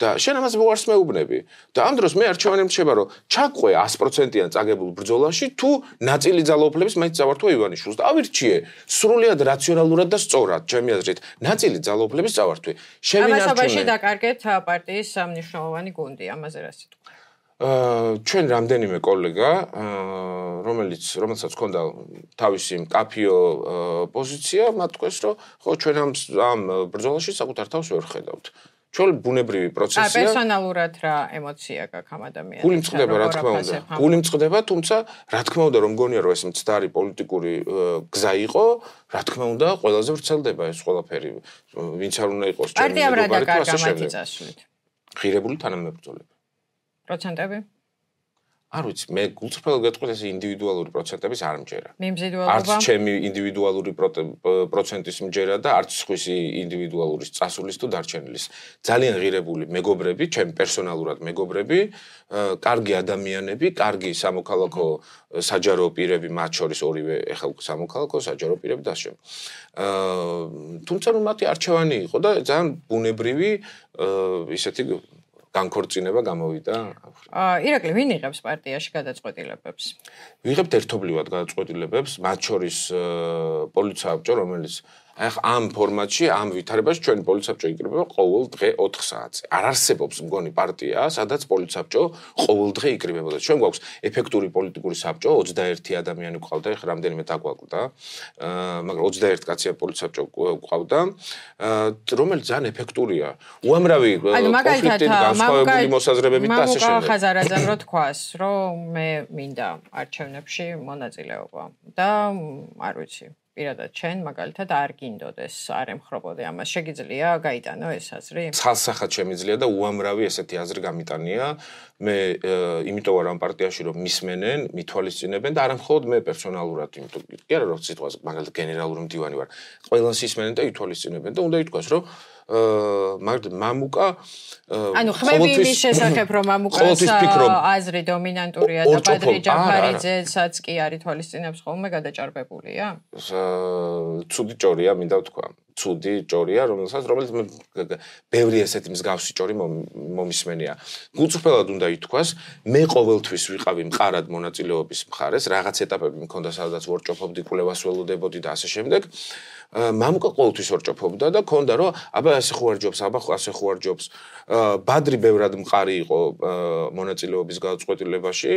და შენ ამას უარს მეუბნები. და ამ დროს მე არჩევანი მრჩება, რომ ჩაყვე 100%-იან წაგებულ ბრძოლაში, თუ ნაწილი ძალაუფლების მაინც წავართვა ივანიშვილს და ავირჩიე სრულიად რაციონალურად და სწორად, ჩემი აზრით, ნაწილი ძალაუფლების წავართვი. ამასობაში დაკარგეთ პარტიის მნიშვნელოვანი გუნდი, ამაზე რა სიტყვა. ჩვენ რამდენიმე კოლეგა, რომელსაც ჰქონდა თავისი მკაფიო პოზიცია, მათ თქვეს, რომ ხო ჩვენ ამ ბრძოლაში საკუთარ თავს ვერ ხედავთ. ჩვენ ბუნებრივი პროცესია. პერსონალურად რა ემოცია გაქვს ამ ადამიანს? გული მწყდება, რა თქმა უნდა. გული მწყდება, თუმცა რა თქმა უნდა, რომ მგონია, რომ ეს მცდარი პოლიტიკური გზა იყო, რა თქმა უნდა, ყველაზე ვრცელდება ეს ყველაფერი. ვინც არ უნდა იყოს ჩემი პარტიამ რა დაკარგა მათი წასვლით? ღირებული თანამებრძოლები. პროცენტები? არ ვიცი, მე გულწრფელად გეტყვით ეს ინდივიდუალური პროცენტების არ მჯერა. მიმზიდველობა. არც ჩემი ინდივიდუალური პროცენტის მჯერა და არც სხვისი ინდივიდუალური წასulis თუ დარჩენილის. ძალიან ღირებული მეგობრები, ჩემი პერსონალურად მეგობრები, კარგი ადამიანები, კარგი სამოქალაქო საჯარო პირები, მათ შორის ორივე ეხლა სამოქალაქო საჯარო პირები და ასე. თუმცა რომ მათი არჩევანი იყო და ძალიან ბუნებრივი ისეთი განქორწინება გამოვიდა. ირაკლი, ვინ იღებს პარტიაში გადაწყვეტილებებს? ვიღებთ ერთობლივად გადაწყვეტილებებს, მათ შორის პოლიცსაბჭო, რომელიც ამ ფორმატში, ამ ვითარებაში ჩვენი პოლიცსაბჭო იკრიბება ყოველ დღე 4 საათზე. არ არსებობს მგონი პარტია, სადაც პოლიცსაბჭო ყოველ დღე იკრიბებოდა. ჩვენ გვაქვს ეფექტური პოლიტიკური საბჭო, 21 ადამიანი გვყავდა, ეხლა რამდენიმე დაგვაკლდა. მაგრამ 21 კაცია პოლიცსაბჭო გვყავდა, რომელიც ძალიან ეფექტურია. უამრავი კონფლიქტი განსხვავებული მოსაზრებებით და ასე შემდეგ. ხაზარაძემ რო თქვას, რომ მე მინდა არჩევნებში მონაწილეობა და არ ვიცი პირადად ჩვენ მაგალითად არ გინდოდეს, არ ემხრობოდე ამას. შეგიძლია გაიტანო ეს აზრი? ცალსახად შემიძლია და უამრავი ესეთი აზრი გამიტანია. მე იმიტომ ვარ ამ პარტიაში რომ მისმენენ, მithვალისწინებენ და არა მხოლოდ მე პერსონალურად, იმიტომ კი არა რომ სიტყვაზე მაგალითად გენერალური მდივანი ვარ. ყველას ისმენენ და ითვალისწინებენ და უნდა ითქვას რომ მამუკა ანუ ხმები იმის შესახებ რომ მამუკას აზრი დომინანტურია და ბადრი ჯაფარიძესაც კი არ ითვალისწინებს ხოლმე გადაჭარბებულია? ცუდი ჭორია, მინდა ვთქვა. ცუდი ჭორია, რომელიც ბევრი ესეთი მსგავსი ჭორი მომისმენია. გულწრფელად უნდა ითქვას, მე ყოველთვის ვიყავი მყარად მონაწილეობის მხარეს, რაღაც ეტაპები მქონდა, სადაც ვორჭოფობდი, კვლევას ველოდებოდი და ასე შემდეგ. მამუკა ყოველთვის ვორჭოფობდა და ქონდა რომ აბა ასე ხო არ ჯობს, აბა ასე ხო არ ჯობს. ბადრი ბევრად მყარი იყო მონაწილეობის გადაწყვეტილებაში.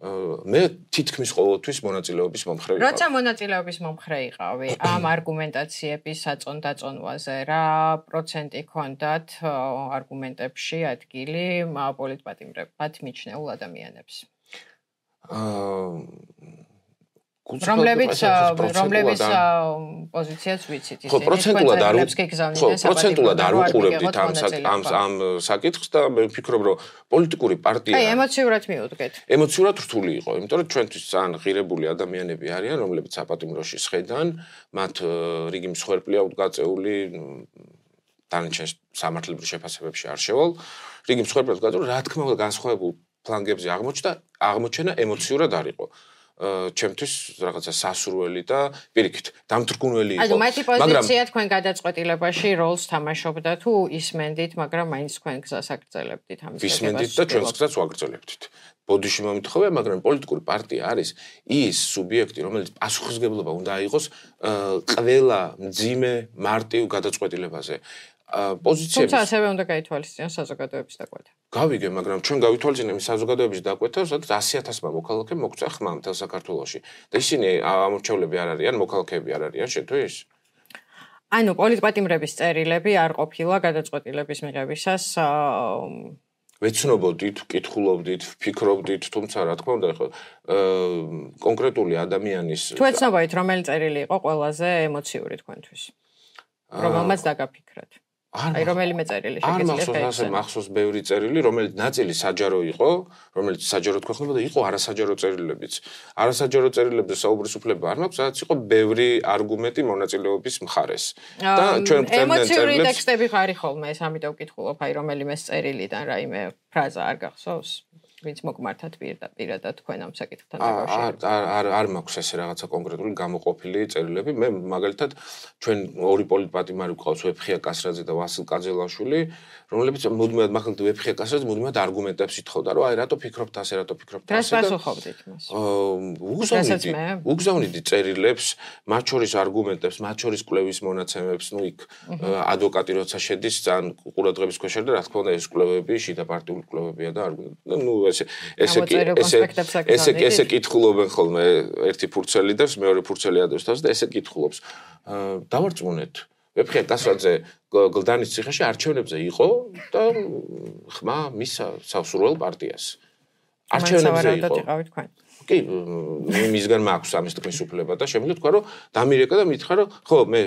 მე თითქმის ყოველთვის მონაწილეობის მომხრე ვიყავი. როცა მონაწილეობის მომხრე იყავი, ამ არგუმენტაციების საწონ-დაწონვაზე რა პროცენტი ქონდათ არგუმენტებში ადგილი პოლიტპატიმრებად მიჩნეულ ადამიანებს? რომლებიც პოზიციას ვიცით ისინი. ხო, პროცენტულად არ უყურებდით ამ საკითხს და მე ვფიქრობ, რომ პოლიტიკური პარტია ემოციურად მიუდგეთ. ემოციურად რთული იყო, იმიტომ რომ ჩვენთვის ძალიან ღირებული ადამიანები არიან, რომლებიც საპატიმროში სხედან, მათ რიგი მსხვერპლია გაწეული დანარჩენ სამართლებრივ შეფასებებში არ შევალ. რიგი მსხვერპლია გაწეული, რა თქმა უნდა, განსხვავებულ ფლანგებზე აღმოჩენა ემოციურად არ იყო. ჩემთვის რაღაცა სასურველი და პირიქით დამთრგუნველი იყო. ანუ მათი პოზიცია თქვენ გადაწყვეტილებაში როლს თამაშობდა თუ ისმენდით, მაგრამ მაინც თქვენ გზას აგრძელებდით ამის გაგებას? ისმენდით და ჩვენს გზას ვაგრძელებდით. ბოდიში მომთხოვია, მაგრამ პოლიტიკური პარტია არის ის სუბიექტი, რომელიც პასუხისმგებლობა უნდა აიღოს ყველა მძიმე მარტივ გადაწყვეტილებაზე. პოზიციები. თუმცა ასევე უნდა გაითვალისწინოს საზოგადოების დაკვეთა. გავიგე, მაგრამ ჩვენ გავითვალისწინებთ საზოგადოების დაკვეთა, სადაც 100,000-მა მოქალაქემ მოგწია ხმა მთელ საქართველოში. და ისინი ამორჩევლები არ არიან, მოქალაქეები არ არიან, შეთვის? ანუ პოლიტპატიმრების წერილები არ ყოფილა გადაწყვეტილების მიღებისას ვეცნობოდით, ვკითხულობდით, ვფიქრობდით, თუმცა რა თქმა უნდა, ხო კონკრეტული ადამიანის თუ ეცნობოდით, რომელი წერილი იყო ყველაზე ემოციური თქვენთვის? რომელმაც დაგაფიქრეთ. აი რომელიმე წერილი შეგიძლიათ ასე მახსოვს ბევრი წერილი, რომელიც ნაწილი საჯარო იყო, რომელიც საჯაროდ გვეხმებოდა, იყო არასაჯარო წერილებიც. არასაჯარო წერილებზე საუბრის უფლება არ მაქვს, სადაც იყო ბევრი არგუმენტი მონაწილეობის მხარეს. და ჩვენ წერილებს ემოციური ტექსტები ხარი ხოლმე, ეს ამიტომ ვკითხულობ, აი რომელიმე წერილიდან რაიმე ფრაზა არ გახსოვს? ვინც მოგმართათ პირადად თქვენ ამ საკითხთან დაკავშირებით. არ მაქვს ესე რაღაცა კონკრეტული გამოყოფილი წერილები. მე მაგალითად ჩვენ ორი პოლიტპატიმარი გვყავს ვეფხია კასრაძე და ვასილ კაძელაშვილი, რომლებიც მუდმივად მაგალითად ვეფხია კასრაძე მუდმივად არგუმენტებს ითხოვდა, რომ აი რატო ფიქრობთ ასე, რატო ფიქრობთ ასე. რას პასუხობდით მას? უგზავნიდი წერილებს, მათ შორის არგუმენტებს, მათ შორის კვლევის მონაცემებს, ნუ იქ ადვოკატი როცა შედის, ძალიან ყურადღების ქვეშ და რა თქმა უნდა ეს კვლევები შიდა პარტიული კვლევებია და ნუ ესე კითხულობენ ხოლმე ერთი ფურცელი და მეორე ფურცელი ადევს თავს და ესე კითხულობს. დავარწმუნეთ. ვეფხია კასრაძე გლდანის ციხეში არჩევნებზე იყო და ხმა მის სასურველ პარტიას. არჩევნებზე იყო. კი, მისგან მაქვს ამის თქმის უფლება და შემიძლია თქვა, რომ დამირეკა და მითხრა, რომ ხო, მე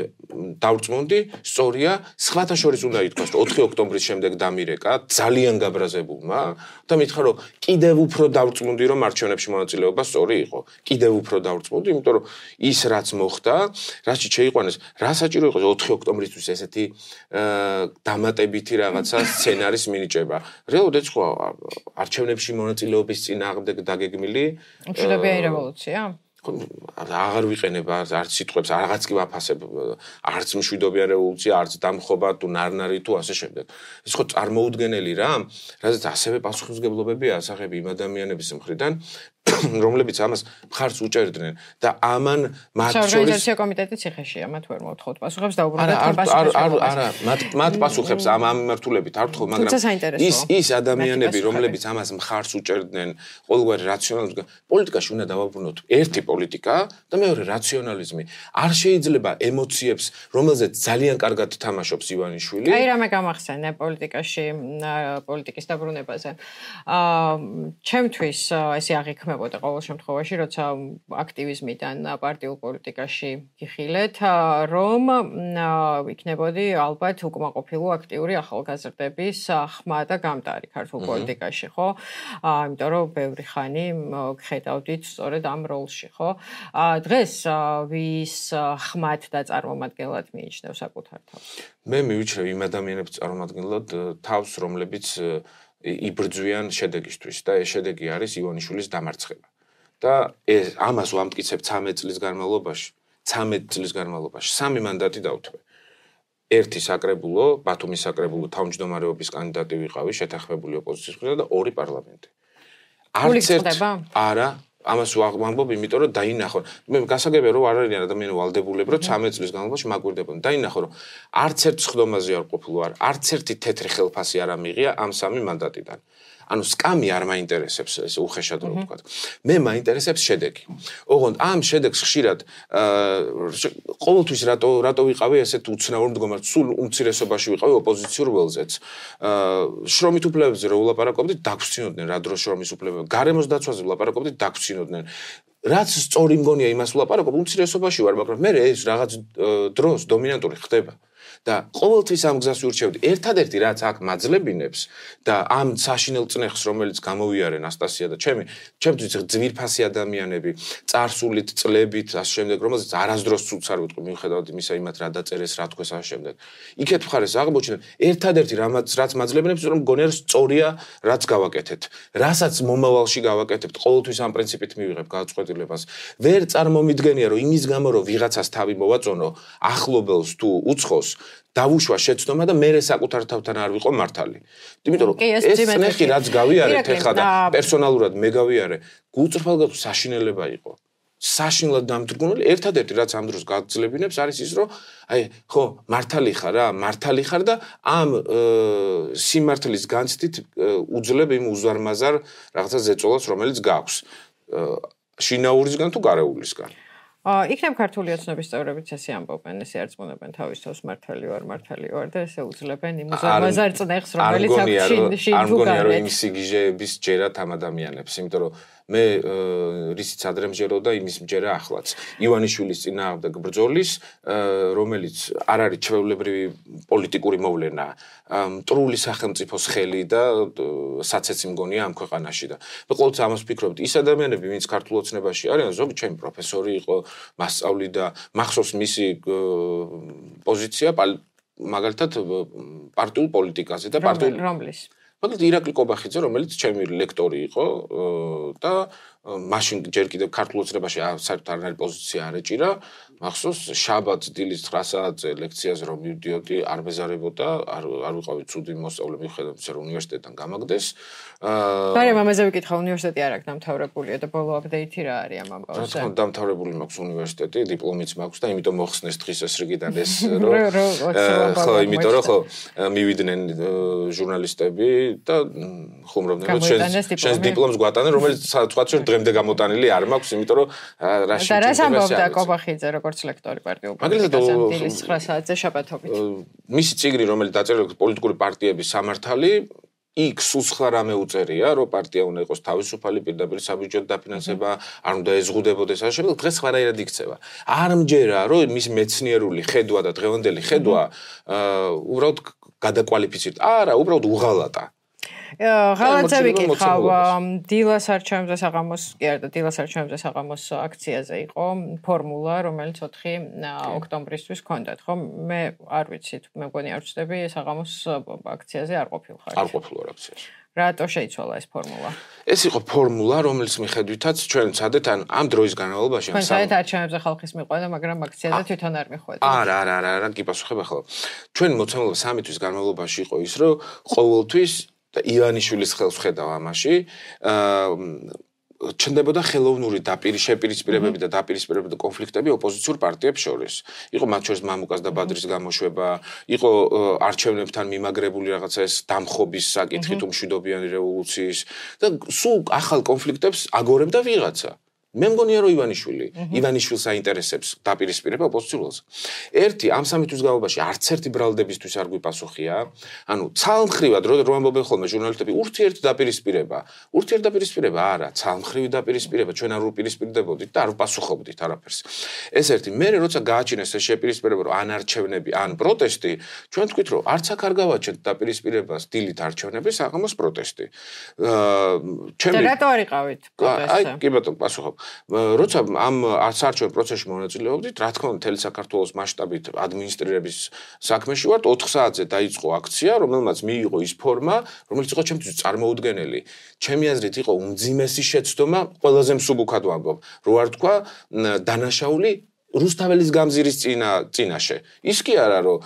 დავრწმუნდი, სწორია, სხვათა შორის უნდა ითქვას, რომ 4 ოქტომბრის შემდეგ დამირეკა ძალიან გაბრაზებულმა და მითხრა, რომ კიდევ უფრო დავრწმუნდი, რომ არჩევნებში მონაწილეობა სწორი იყო. კიდევ უფრო დავრწმუნდი, იმიტომ რომ ის რაც მოხდა, რაში შეიყვანეს, რა საჭირო იყო 4 ოქტომბრისთვის ესეთი დამატებითი რაღაცა სცენარის მინიჭება. რეალურად ეცხო არჩევნებში მონაწილეობის წინააღმდეგ დაგეგმილი მშვიდობიანი რევოლუცია? აღარ ვიყენებ არც სიტყვებს, რაღაც კი ვაფასებ, არც მშვიდობიანი რევოლუცია, არც დამხობა თუ ნარნარი თუ ასე შემდეგ. ეს ხო წარმოუდგენელი რა, რადგან ასევე პასუხისმგებლობები ასახები იმ ადამიანების მხრიდან, რომლებიც ამას მხარს უჭერდნენ და ამან მათ შორის ორგანიზაცია კომიტეტი ციხეშია, მათ ვერ მოთხოვთ პასუხებს და უბრალოდ პასუხისმგებლობას. არა, მათ პასუხებს ამ მიმართულებით არ ვთხოვ, მაგრამ ის ადამიანები, რომლებიც ამას მხარს უჭერდნენ, ყოველგვარი რაციონალიზმი, პოლიტიკაში უნდა დავაბრუნოთ ერთი პოლიტიკა და მეორე რაციონალიზმი. არ შეიძლება ემოციებს, რომელზეც ძალიან კარგად თამაშობს ივანიშვილი. აი რამე გამახსენე პოლიტიკაში, პოლიტიკის დაბრუნებაზე. ჩემთვის ესე აღიქმებოდა ყოველ შემთხვევაში, როცა აქტივიზმიდან პარტიულ პოლიტიკაში გიხილეთ, რომ იქნებოდი ალბათ უკმაყოფილო აქტიური ახალგაზრდების ხმა და გამტარი ქართულ პოლიტიკაში, ხო? იმიტომ რომ ბევრი ხანი გხედავდით სწორედ ამ როლში, ხო? დღეს ვის ხმად და წარმომადგენლად მიიჩნევ საკუთარ თავს? მე მივიჩნევ იმ ადამიანებს წარმომადგენლად თავს, რომლებიც იბრძვიან შედეგისთვის და ეს შედეგი არის ივანიშვილის დამარცხება. და ამას ვამტკიცებ 13 წლის განმავლობაში, 3 მანდატი დავთვე. ერთი საკრებულო, ბათუმის საკრებულო თავმჯდომარეობის კანდიდატი ვიყავი შეთანხმებული ოპოზიციის მხრიდან და 2 პარლამენტი. არც ერთ არა ამას ვამბობ, იმიტომ რომ დაინახო. მე გასაგებია რომ არ არიან ადამიანები ვალდებულები, რომ 13 წლის განმავლობაში მაგვირდებოდნენ. დაინახო რომ არც ერთ სხდომაზე არ ყოფილო, არც ერთი თეთრი ხელფასი არ ამიღია ამ 3 მანდატიდან. ანუ სკამი არ მაინტერესებს ეს უხეშად რო ვთქვა. მე მაინტერესებს შედეგი. ოღონდ ამ შედეგს ხშირად ყოველთვის რატო ვიყავი ესეთ უცნაურ მდგომარეობაში, სულ უმცირესობაში ვიყავი ოპოზიციურ ველზეც. შრომით უფლებებზე რო ვლაპარაკობდით, დაგვრცინოდნენ რა დროს შრომის უფლებები. გარემოს დაცვაზე ვლაპარაკობდით, დაგვრცინოდნენ. რაც სწორი მგონია იმას ვლაპარაკობ, უმცირესობაში ვარ, მაგრამ მე ეს რაღაც დროს დომინანტური ხდება. და ყოველთვის ამ გზას ვირჩევდი. ერთადერთი რაც აქ მაძლებინებს და ამ საშინელ წნეხს, რომელიც გამოვიარე ნასტასია და ჩემთვის ძვირფასი ადამიანები, წარსულით, წლებით, ასე შემდეგ, რომელზეც არასდროს ცუც არ ვიტყვი, მიუხედავად იმისა, იმათ რა დაწერეს, რა თქვეს ასე შემდეგ. იქეთ მხარეს აღმოჩნდა ერთადერთი რაც მაძლებინებს, რომ მგონია სწორია, რაც გავაკეთეთ. რასაც მომავალში გავაკეთებთ, ყოველთვის ამ პრინციპით მივიღებ გადაწყვეტილებას. ვერ წარმომიდგენია, რომ იმის გამო, რომ ვიღაცას თავი მოვაწონო, ახლობელს თუ უცხოს დავუშვა შეცდომა და მე საკუთარ თავთან არ ვიყო მართალი. იმიტომ რომ ეს წნეხი რაც გავიარეთ ეხლა და პერსონალურად მე გავიარე, გულწრფელად საშინელება იყო. საშინლად დამძრგუნული, ერთადერთი რაც ამ დროს გაძლებინებს არის ის, რომ აი ხო, მართალი ხარ და ამ სიმართლის განცდით უძლებ იმ უზარმაზარ რაღაცა ზეწოლას, რომელიც გაქვს. შინაურისგან თუ გარეულისგან. იქნებ ქართული ოცნების წევრებიც ესე ამბობენ, ესე არწმუნებენ თავის თავს მართალი ვარ და ესე უძლებენ იმ უზარმაზარ წნეხს, რომელიც აქვს შინ არ მგონია რომ იმ სიგიჟეების ჯერათ ამ ადამიანებს, იმიტომ რომ მე რისიც ადრე მჯეროდა იმის მჯერა ახლაც. ივანიშვილის წინააღმდეგ ბრძოლის, რომელიც არ არის ჩვეულებრივი პოლიტიკური მოვლენა, მტრული სახელმწიფოს ხელი და საცეცი მგონია ამ ქვეყანაში და მე ყოველთვის ამას ვფიქრობ, ის ადამიანები, ვინც ქართულ ოცნებაში არიან, ზოგი ჩემი პროფესორი იყო, მასწავლი და მახსოვს მისი პოზიცია მაგალითად პარტიულ პოლიტიკაზე და პარტიულ რომლის მაგალითად ირაკლი კობახიძე, რომელიც ჩემი ლექტორი იყო და მაშინ ჯერ კიდევ ქართულ ოცნებაში საერთოდ არანაირი პოზიცია არ ეჭირა, მახსოვს შაბათს დილის 9 საათზე ლექციაზე რომ მივდიოდი, არ მეზარებოდა, არ ვიყავი ცუდი მოსწავლე, მიუხედავად იმისა, რომ უნივერსიტეტიდან გამაგდეს. მაგრამ ამაზე ვიკითხა, უნივერსიტეტი არ აქვს დამთავრებულია და ბოლო აპდეიტი რა არის ამ ამბავზე? რა თქმა უნდა, დამთავრებული მაქვს უნივერსიტეტი, დიპლომიც მაქვს და იმიტომ მოხსნეს დღის ეს რიგიდან ეს რომ ხო, იმიტომ რომ ხო მივიდნენ ჟურნალისტები და ხუმრობდნენ, რომ შენს დიპლომს გვატანენ, რომელიც თქვა რომ დღემდე გამოტანილი არ მაქვს, იმიტომ რომ რაში და რას ამბობდა კობახიძე როგორც ლექტორი პარტიულ პოლიტიკაზე დილის 9 საათზე შაბათობით? მისი წიგნი, რომელიც დაწერილი პოლიტიკური პარტიების სამართალი იქ სულ სხვა რამე უწერია, რომ პარტია უნდა იყოს თავისუფალი, პირდაპირ საბიუჯეტო დაფინანსება, არ უნდა ეზღუდებოდეს ასე შემდეგ, დღეს სხვანაირად იქცევა. არ მჯერა, რომ მის მეცნიერული ხედვა და დღევანდელი ხედვა უბრალოდ გადაკვალიფიცირდა. არა, უბრალოდ უღალატა. ღალატები კითხავ, დილას არჩევნებზე საღამოს, კი არა, დილას არჩევნებზე საღამოს აქციაზე იყო ფორმულა, რომელიც 4 ოქტომბრისთვის ჰქონდათ, ხო? მე არ ვიცი, მე მგონი არ ვწდები საღამოს აქციაზე არ ყოფილხარ. არ ყოფილვარ აქციაში. რატო შეიცვალა ეს ფორმულა? ეს იყო ფორმულა, რომელიც მიხედვითაც ჩვენ ვცადეთ ამ დროის განმავლობაში ამ საერთოდ არჩევნებზე ხალხის მიყვანა, მაგრამ აქციაზე თვითონ არ მიხვედა. არა, კი პასუხებ ახლა. ჩვენ მოცემულობა 3 თვის განმავლობაში იყო ის, რომ ყოველთვის და ივანიშვილის ხელს ხედავ ამაში, ჩნდებოდა ხელოვნური შეპირისპირებები და დაპირისპირებები და კონფლიქტები ოპოზიციურ პარტიებს შორის. იყო მათ შორის მამუკას და ბადრის გამოშვება, იყო არჩევნებთან მიმაგრებული რაღაცა ეს დამხობის საკითხი თუ მშვიდობიანი რევოლუციის და სულ ახალ კონფლიქტებს აგორებდა ვიღაცა. მე მგონია რომ ივანიშვილს აინტერესებს დაპირისპირება ოპოზიციურს. ერთი ამ 3 თვის განმავლობაში არც ერთი ბრალდებისთვის არ გვიპასუხია. ანუ ცალმხრივად რომ ამბობენ ხოლმე ჟურნალისტები ურთიერთდაპირისპირება არა, ცალმხრივი დაპირისპირება, ჩვენ არ ვუპირისპირდებოდით და არ ვპასუხობდით არაფერს. ეს ერთი. მე როცა გააჩინეს ეს შეპირისპირება რომ ან არჩევნები, ან პროტესტი, ჩვენ თქვით რომ არც აქ არ გავაჩენთ დაპირისპირებას დილით არჩევნები, საღამოს პროტესტი. და რატო არ იყავით პროტესტზე? აი, კი ბატონო, პასუხობ. როცა ამ საარჩევნო პროცესში მონაწილეობდით, რა თქმა უნდა, მთელი საქართველოს მასშტაბით ადმინისტრირების საქმეში ვართ, 4 საათზე დაიწყო აქცია, რომელმაც მიიღო ის ფორმა, რომელიც იყო ჩემთვის წარმოუდგენელი. ჩემი აზრით იყო უმძიმესი შეცდომა, ყველაზე მსუბუქად ვამბობ, რო არ თქვა დანაშაული რუსთაველის გამზირის წინაშე. ის კი არა, რომ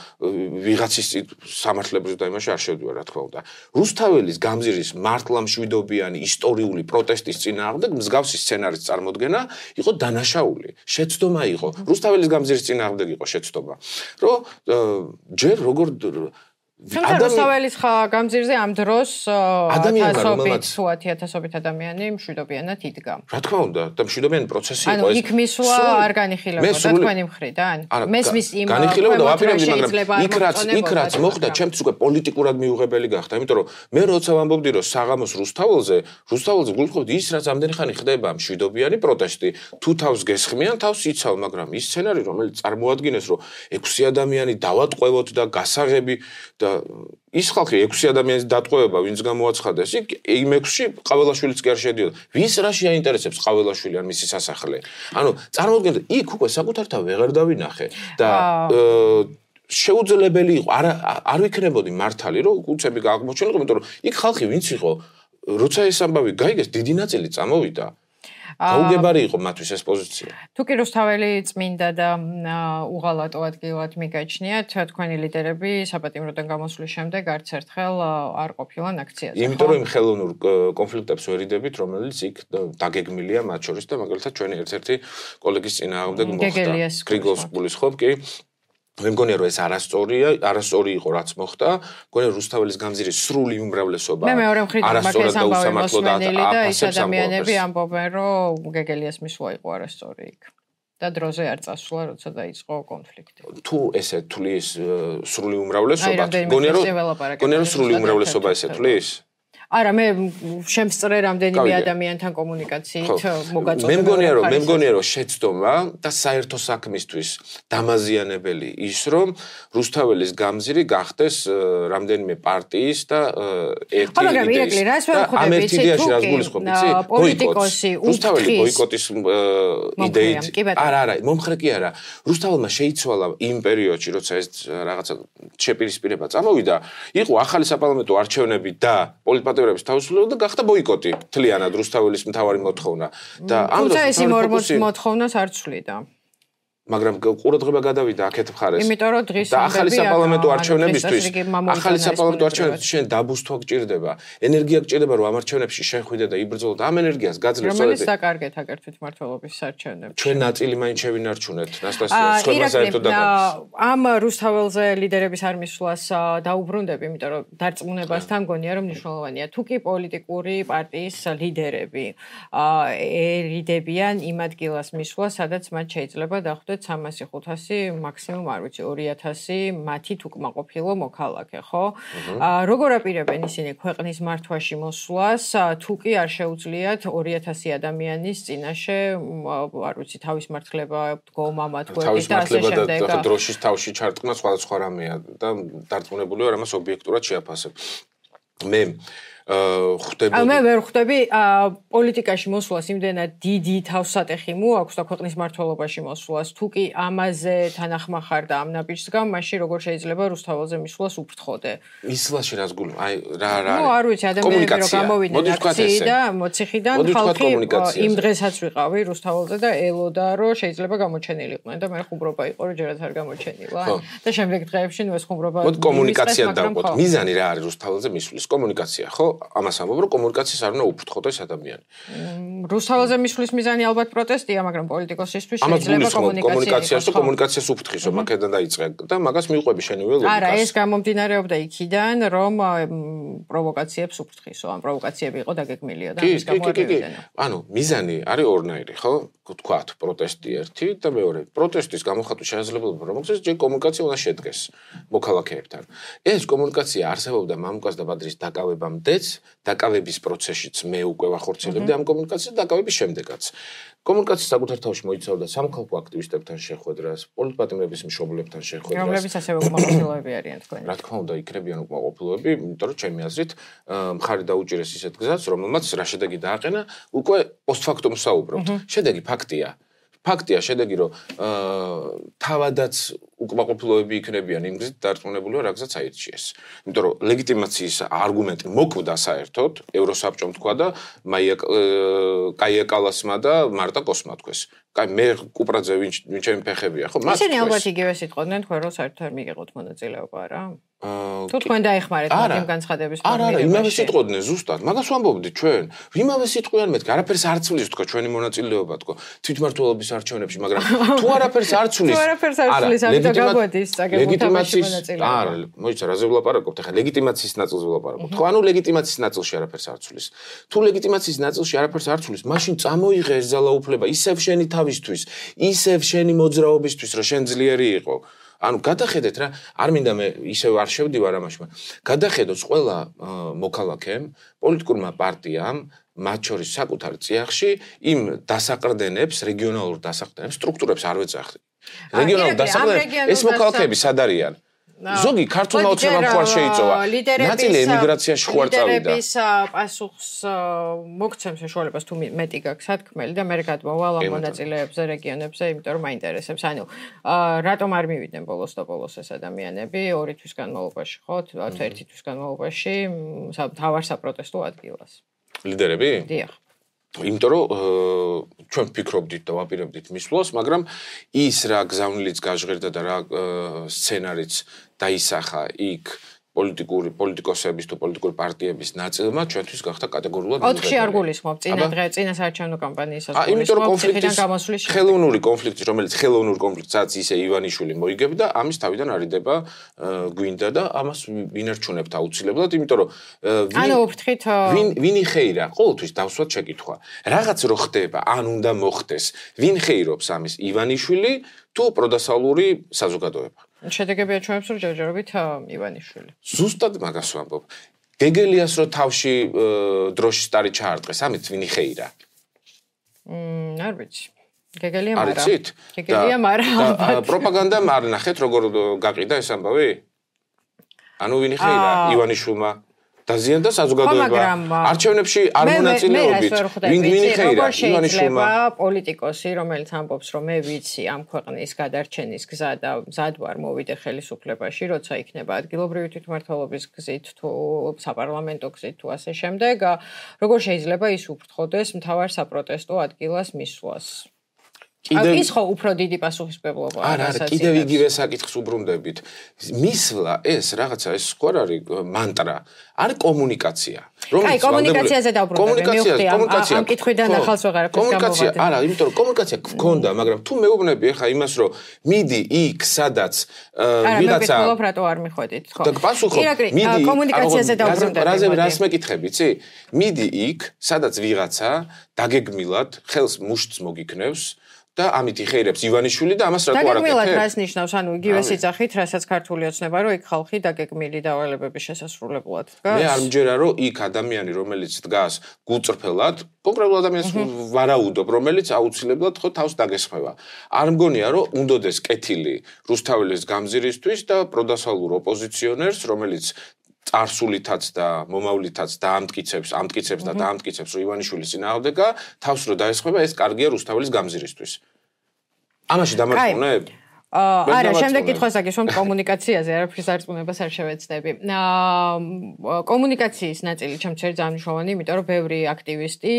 ვიღაცის სამართლებრივ და იმაში არ შევდივარ, რა თქმა უნდა. რუსთაველის გამზირის მართლამშვიდობიანი ისტორიული პროტესტის წინააღმდეგ მსგავსი სცენარის წარმოდგენა იყო დანაშაული. შეცდომა იყო. რუსთაველის გამზირის წინააღმდეგ იყო შეცდომა. რომ ჯერ როგორ რუსთაველის გამზირზე ამ დროს ათასობით ადამიანი მშვიდობიანად იდგა. რა თქმა უნდა, და მშვიდობიანი პროცესი იყო ეს. ანუ იქ მისვლა არ განიხილებოდა თქვენი მხრიდან? მესმის იმ განიხილებოდა, ვაპირებდი, მაგრამ იქ რაც მოხდა, ჩემთვის უკვე პოლიტიკურად მიუღებელი გახდა, იმიტომ რომ მე როცა ვამბობდი, რომ საღამოს რუსთაველზე გულწრფობდი ის, რაც ამდენი ხანი ხდება მშვიდობიანი პროტესტი, თუ თავს გესხმიან, თავს იცავ, მაგრამ ის სცენარი, რომელიც წარმოადგენს, რომ 6 ადამიანი დავატყვევოთ და გასაღები და ის ხალხი 6 ადამიანის დატყვევება, ვინც გამოაცხადეს, იმ 6-ში ყაველაშვილიც კი არ შედიოდა. ვის რაში აინტერესებს ყაველაშვილი ან მისი სასახლე? ანუ წარმოუდგენთ, იქ უკვე საკუთარ თავ ვეღარ დავინახე და შეუძლებელი იყო, არ ვიქნებოდი მართალი, რომ უცები აღმოჩენილიყო, იმიტომ რომ იქ ხალხი ვინც იყო, როცა ეს ამბავი გაიგეს, დიდი ნაწილი წამოვიდა. გაუგებარი იყო მათთვის ეს პოზიცია. თუ კი რუსთაველი წმინდა და უღალატო ადგილად მიგაჩნიათ, თქვენი ლიდერები საპატიმროდან გამოსვლის შემდეგ არც ერთხელ არ ყოფილან აქციაზე. იმიტომ რომ იმ ხელოვნურ კონფლიქტებს ვერიდებით, რომელიც იქ დაგეგმილია მათ შორის და მაგალითად ჩვენი ერთ-ერთი კოლეგის წინააღმდეგ მოხდა. გრიგოლ სკულის ხო კი? მე მგონია რომ ეს არასწორი იყო რაც მოხდა. მგონია რუსთაველის გამზირის სრული უმრავლესობა მე მეორე მხრიდან მაგას ამბავი მოსმენელი და ის ადამიანები ამბობენ რომ გეგელიას მისვლა იყო არასწორი იქ. და დროზე არ წასვლა, როცა დაიწყო კონფლიქტი. თუ ესე თulis სრული უმრავლესობა, მგონია რომ სრული უმრავლესობა ესე თulis? არა, მე შემსწრე რამდენიმე ადამიანთან კომუნიკაციით მოგაწოდებული. მე მგონია რომ შეცდომა და საერთო საქმისთვის დამაზიანებელი ის რომ რუსთაველის გამზირი გახდეს რამდენიმე პარტიის და ერთი იდეის. ამ ერთი იდეაში რას გულისხმობ, იცი? პოლიტიკოსი რუსთაველი ბოიკოტის იდეით. არა, მომხრე კი არა. რუსთაველმა შეიცვალა იმ პერიოდში, როცა ეს რაღაცა შეპირისპირება წამოვიდა, იყო ახალი საპარლამენტო არჩევნები და პოლიტპატიმრების თავისუფლება და გახდა ბოიკოტი მთლიანად რუსთაველის მთავარი მოთხოვნა და ამ დროს ეს იმ მოთხოვნას არ ცვლიდა. მაგრამ ყურადღება გადავიდა აქეთ მხარეს. იმიტომ რომ დღის და ახალი საპარლამენტო არჩევნებისთვის შენ დაბუსტვა გჭირდება, ენერგია გჭირდება რომ ამ არჩევნებში შეხვიდე და იბრძოლო და ამ ენერგიას გაძლევ რომელიც საკარგეთ აკერთვით მმართველობის არჩევნებში. ჩვენ ნაწილი მაინც შევინარჩუნეთ, ნასტასია, სხვა საერთოდ და ამ რუსთაველზე ლიდერების არ მისვლას დაუბრუნდები, იმიტომ რომ დარწმუნებასთან მგონია რომ მნიშვნელოვანია. თუ კი პოლიტიკური პარტიის ლიდერები ერიდებიან იმ ადგილას მისვლა, სადაც მათ შეიძლება დახვდეთ 1300-500, მაქსიმუმ არ ვიცი 2000 მათით უკმაყოფილო მოქალაქე, ხო? როგორ აპირებენ ისინი ქვეყნის მართვაში მოსვლას, თუ კი არ შეუძლიათ 2000 ადამიანის წინაშე, არ ვიცი, თავის მართლება დგომა თქვენ და ასე შემდეგ. თავის დროშის თავში ჩარტყნა სხვადასხვა რამეა და დარწმუნებული ვარ ამას ობიექტურად შეაფასებ. მე ვერ ხვდები პოლიტიკაში მოსვლას იმდენად დიდი თავსატეხი მოაქვს და ქვეყნის მმართველობაში მოსვლას თუ კი ამაზე თანახმახარ და ამ ნაბიჯს გამ მაშინ როგორ შეიძლება რუსთაველზე მისვლას უფრთხოდე მისვლაში რას გულ აი რა არ ვიცი ადამიანები რომ გამოვიდნენ აქციიდან მოციხიდან ხალხი იმ დღესაც ვიყავი რუსთაველზე და ელოდა რომ შეიძლება გამოჩენილიყვნენ და მე ხუმრობა იყო რომ ჯერაც არ გამოჩენილა და შემდეგ დღეებში ნუ ეს ხუმრობა კომუნიკაცია დავყოთ მიზანი რა არის რუსთაველზე მისვლის კომუნიკაცია ხო ამას ამბობ რომ კომუნიკაციას არ უნდა უფრთხოდეს ადამიანი. რუსთაველზე მისვლის მიზანი ალბათ პროტესტია, მაგრამ პოლიტიკოსისთვის შეიძლება კომუნიკაციას და კომუნიკაციას უფრთხისო, მაგედან დაიწყე და მაგას მიყვები შენი ველოდიკას. არა, ეს გამომდინარეობდა იქიდან, რომ პროვოკაციებს უფრთხისო, ან პროვოკაციები იყო დაგეგმილია და ამის გამო არევიდან. ანუ მიზანი არის ორნაირი, ხო? თქვათ, პროტესტი ერთი და მეორე. პროტესტის გამოხატვის შესაძლებლობა რომ მოხდეს, ჯერ კომუნიკაცია უნდა შედგეს მოქალაქეებთან. ეს კომუნიკაცია არსებობდა მამუკას და ბადრის დაკავებამდეც დაკავების პროცესშიც მე უკვე ვახორციელებდი ამ კომუნიკაციას დაკავების შემდეგაც. კომუნიკაცია საკუთარ თავში მოიცავდა სამხალხო აქტივისტებთან შეხვედრას, პოლიტპატიმრების მშობლებთან შეხვედრას. რომლებიც ასევე უკმაყოფილოები არიან თქვენ. რა თქმა უნდა, იქნებიან უკმაყოფილოები, იმიტომ რომ ჩემი აზრით მხარი დაუჭირეს ისეთ გზას, რომელმაც რა შედეგი დააყენა, უკვე პოსტფაქტუმ საუბრობთ. შედეგი ფაქტია. ფაქტია შედეგი რომ თავადაც უკმაყოფილოები იქნებიან იმ გზით დარწმუნებული ვარ რაგზაც აირჩიეს. იმიტომ რომ ლეგიტიმაციის არგუმენტი მოკვდა საერთოდ ევროსაბჭომ თქვა და კაია კალასმა და მარტა კოსმა თქვეს. კაი მე კუპრაძე ვინ ჩემი ფეხებია ხო მას ისინი ალბათ იგივე სიტყვდნენ თქვენ რომ საერთოდ არ მიიღოთ მონაწილეობა რა. თუ თქვენ დაეხმარეთ იმ განცხადების არა იმავე სიტყვდნენ ზუსტად მაგას ვამბობდით ჩვენ იმავე სიტყვიან მეთქი არაფერს არ ცვლის თქვა ჩვენი მონაწილეობა თქო თვითმმართველობის არჩევნებში მაგრამ თუ არაფერს არ ცვლის ამიტომ გაგვადის წაგებულობაში მონაწილეობა არა მოიცა რაზე ვლაპარაკობთ ახლა ლეგიტიმაციის ნაწილზე ვლაპარაკობთ ხო ანუ ლეგიტიმაციის ნაწილში არაფერს არ ცვლის თუ ლეგიტიმაციის ნაწილში არაფერს არ ცვლის მაშინ წამოიღე ეს ძალაუფლება ისევ შენი თავისთვის ისევ შენი მოძრაობისთვის რომ შენ ძლიერი იყო ანუ გადახედეთ რა არ მინდა მე ისევ არ შევდივარ ამაში გადახედოთ ყველა მოქალაქემ პოლიტიკურმა პარტიამ მათ შორის საკუთარ წიაღში იმ დასაყრდენებს რეგიონალურ დასაყრდენებს სტრუქტურებს არ ვეძახდი რეგიონალურ დასაყრდენებს ეს მოქალაქეები სად არიან ზოგი ქართულმა ოცნებამ ხوار შეიწოვა ნაწილი ემიგრაციაში ხوار წავიდა ლიდერების პასუხს მოგცემს საშუალებას თუ მეტი გაქვს სათქმელი და მე გადმოვალ ამ მონაწილეებზე რეგიონებზე იმიტომ რომ მაინტერესებს ანუ რატომ არ მივიდნენ ბოლოს და ბოლოს ეს ადამიანები 2 თვის განმავლობაში ხო 1 თვის განმავლობაში თავარ საპროტესტო ადგილას ლიდერები დიახ იმიტომ რომ ჩვენ ვფიქრობდით და ვაპირებდით მისვლას, მაგრამ ის რა გზავნილიც გაჟღერდა და რა სცენარიც დაისახა იქ პოლიტიკოსების თუ პოლიტიკური პარტიების ნაწილმა ჩვენთვის გახდა კატეგორიულად ოთხში არ გულისხმობ წინა საარჩევნო კამპანიისას იმიტომ რომ ხელოვნური კონფლიქტი რომელიც ხელოვნურ კონფლიქტსაც ისე ივანიშვილი მოიგებდა ამის თავიდან არიდება გვინდა და ამას ვინერჩუნებთ აუცილებლად იმიტომ რომ ანუ ვფრთხით ვინ იხეირა ყოველთვის დავსვათ შეკითხვა რაღაც რო ხდება ან უნდა მოხდეს ვინ ხეირობს ამის ივანიშვილი თუ პროდასალური საზოგადოება შედეგებია ჩვენს რომ ჯერჯერობით ივანიშვილი. ზუსტად მაგას ვამბობ. გეგელიას რო თავში დროშის სტარი ჩაარტყეს, ამით ვინ იხეირა? არ ვიცი. გეგელია მარა. არიცით? გეგელია მარა. პროპაგანდამ არ ნახეთ როგორ გაყიდა ეს ამბავი? ანუ ვინ იხეირა ივანიშვილმა? დაზიანდა საზოგადოება. არჩევნებში არ მონაწილეობით. ვინ იხეირა ივანიშვილმა? პოლიტიკოსი, რომელიც ამბობს, რომ მე ვიცი ამ ქვეყნის გადარჩენის გზა და მზად ვარ მოვიდე ხელისუფლებაში, როცა იქნება ადგილობრივი თვითმმართველობის გზით თუ საპარლამენტო გზით თუ ასე შემდეგ, როგორ შეიძლება ის უფრთხოდეს მთავარ საპროტესტო ადგილას მისვლას? ის ხო უფრო დიდი პასუხისმგებლობაა. არა, კიდევ იგივე საკითხს უბრუნდებით. მისვლა ეს რაღაცა ეს სხვა არის მანტრა, არის კომუნიკაცია. აი, კომუნიკაციაზე დავბრუნდები. ამ კითხვიდან ახალს ვეღარ კომუნიკაცია, არა, იმიტომ რომ კომუნიკაცია გქონდა, მაგრამ თუ მეუბნები ახლა იმას, რომ მიდი იქ, სადაც ვიღაცა არა, მე რატო არ მიხვედით, ხო? და პასუხობ, მიდი კომუნიკაციაზე დავბრუნდები. რას მეკითხები, იცი? მიდი იქ, სადაც ვიღაცა დაგეგმილად ხელს მუშტს მოგიქნევს და ამით იხეირებს ივანიშვილი და ამას რატო არ აკეთებს? დაგეგმილად რას ნიშნავს, ანუ იგივე სიძახით, რასაც ქართული ოცნება, რომ იქ ხალხი დაგეგმილი დავალებების შესასრულებლად დგას. მე არ მჯერა, რომ იქ ადამიანი, რომელიც დგას გულწრფელად, კონკრეტულ ადამიანს ვარაუდობ, რომელიც აუცილებლად ხო თავს დაგესხმება. არ მგონია, რომ უნდადეს კეთილი რუსთაველის გამზირისთვის და პროდასალურ ოპოზიციონერს, რომელიც წარსულითაც და მომავლითაც ამტკიცებს რომ ივანიშვილის წინააღმდეგა თავს რო დაესხმება, ეს კარგია რუსთაველის გამზირისთვის. ამაში დამარცხუნებ? არა, შემდეგ კითხვას აგიშვამ კომუნიკაციაზე, არაფრის არწმუნებას არ შევეცდები. კომუნიკაციის ნაწილი ჩემთვის არის ძალიან მნიშვნელოვანი, იმიტომ რომ ბევრი აქტივისტი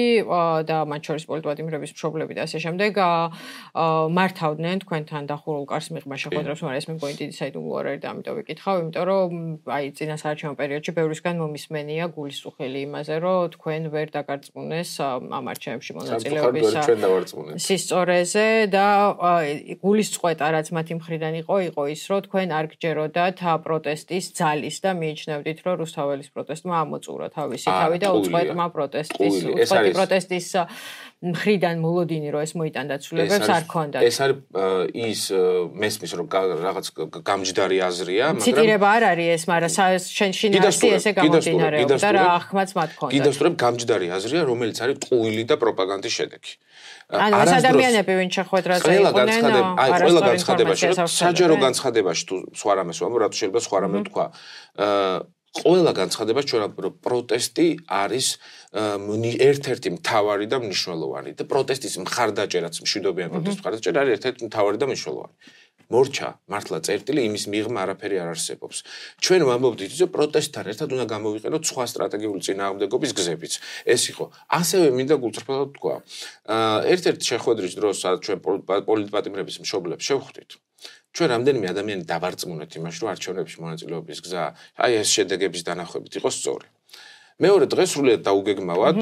და მათ შორის პოლიტვადიმრების მშობლები და ასე შემდეგ მართავდნენ თქვენთან დახურულ კარს მიღმა შეხვედრებს, მაგრამ ეს მე მგონი დიდი საიდუმლო არის და ამიტომ ვიკითხავ, იმიტომ რომ აი წინასაარჩევნო პერიოდში ბევრისგან მომისმენია გულისუხილი იმაზე, რომ თქვენ ვერ დაგარწმუნეს ამ არჩევნებში მონაწილეობის სისწორეზე და გულისწყვეტა რაც მათი მხრიდან იყო ის, რომ თქვენ არ გჯეროდათ პროტესტის ძალის და მიიჩნევდით, რომ რუსთაველის პროტესტმა ამოწურა თავისი თავი და უწყოტმა პროტესტის მხრიდან მოლოდინი, რომ ეს მოიტანდა ცვლილებებს არ ქონდათ. ეს არის ის მესმის, რომ რაღაც გამჯდარი აზრია, მაგრამ ციტირება არ არის ეს, მაგრამ შინაარსი ესე გამომდინარეობდა და რა ახმაც მათ ქონდათ. კიდევ გამჯდარი აზრია, რომელიც არის ტყუილი და პროპაგანდის შედეგი. ანუ ეს ადამიანები ვინ შეხვედრაზე იყვნენ, ყველა განცხადებაში, საჯარო განცხადებაში თუ სხვა რამეს ვამბობ, რატო შეიძლება სხვა რამე თქვა. ყველა განცხადება ჩვენ რომ პროტესტი არის ერთ-ერთი მთავარი და მნიშვნელოვანი და პროტესტის მხარდაჭერაც მშვიდობიანი პროტესტის მხარდაჭერა არის ერთ-ერთი მთავარი და მნიშვნელოვანი. მორჩა მართლა წერტილი იმის მიღმა არაფერი არ არსებობს. ჩვენ ვამბობთ ის რომ პროტესტთან ერთად უნდა გამოვიყენოთ სხვა სტრატეგიული წინააღმდეგობის გზებიც. ეს იყო. ასევე მინდა გულწრფელად თქვა. ერთ-ერთი შეხვედრის დროს სადაც ჩვენ პოლიტპატიმრების მშობლებს შევხვდით. ჩვენ რამდენიმე ადამიანი დავარწმუნეთ იმაში, რომ არჩევნებში მონაწილეობის გზა, აი ეს შედეგების დანახვებით იყო სწორი. მეორე დღეს სრულიად დაუგეგმავად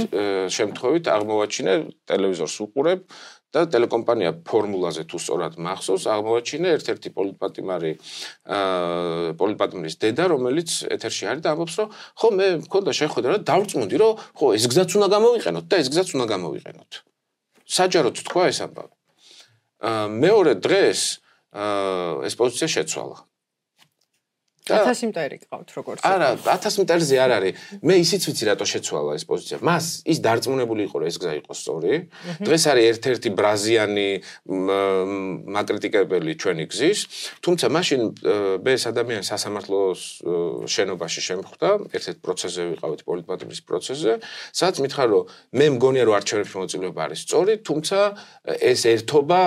შემთხვევით აღმოვაჩინე ტელევიზორს უყურებ და ტელეკომპანია ფორმულაზე თუ სწორად მახსოვს, აღმოვაჩინე ერთ-ერთი პოლიტპატიმრის დედა, რომელიც ეთერში არის და ამბობს, რომ ხო მე მქონდა შეხვედრა და დავწმუნდი, რომ ხო ეს გზაც უნდა გამოვიყენოთ და ეს გზაც უნდა გამოვიყენოთ. საჯაროდ თქვა ეს ამბავი. მეორე დღეს ეს პოზიცია შეცვალა. 1000 მტერი გყავთ როგორც. არა, 1000 მტერზე არ არის. მე ისიც ვიცი რატო შეცვალა ეს პოზიცია. მას ის დარწმუნებული იყო, რომ ეს გზა იყო სწორი. დღეს არის ერთ-ერთი ბრაზიანი მაკრიტიკებელი ჩვენი გზის, თუმცა მაშინ მე ეს ადამიანი სასამართლოს შენობაში შემხვდა, ერთ-ერთ პროცესზე ვიყავით პოლიტპატიმრის პროცესზე, სადაც მითხრა, რომ მე მგონია, რომ არჩევნებში მონაწილეობა არის სწორი, თუმცა ეს ერთობა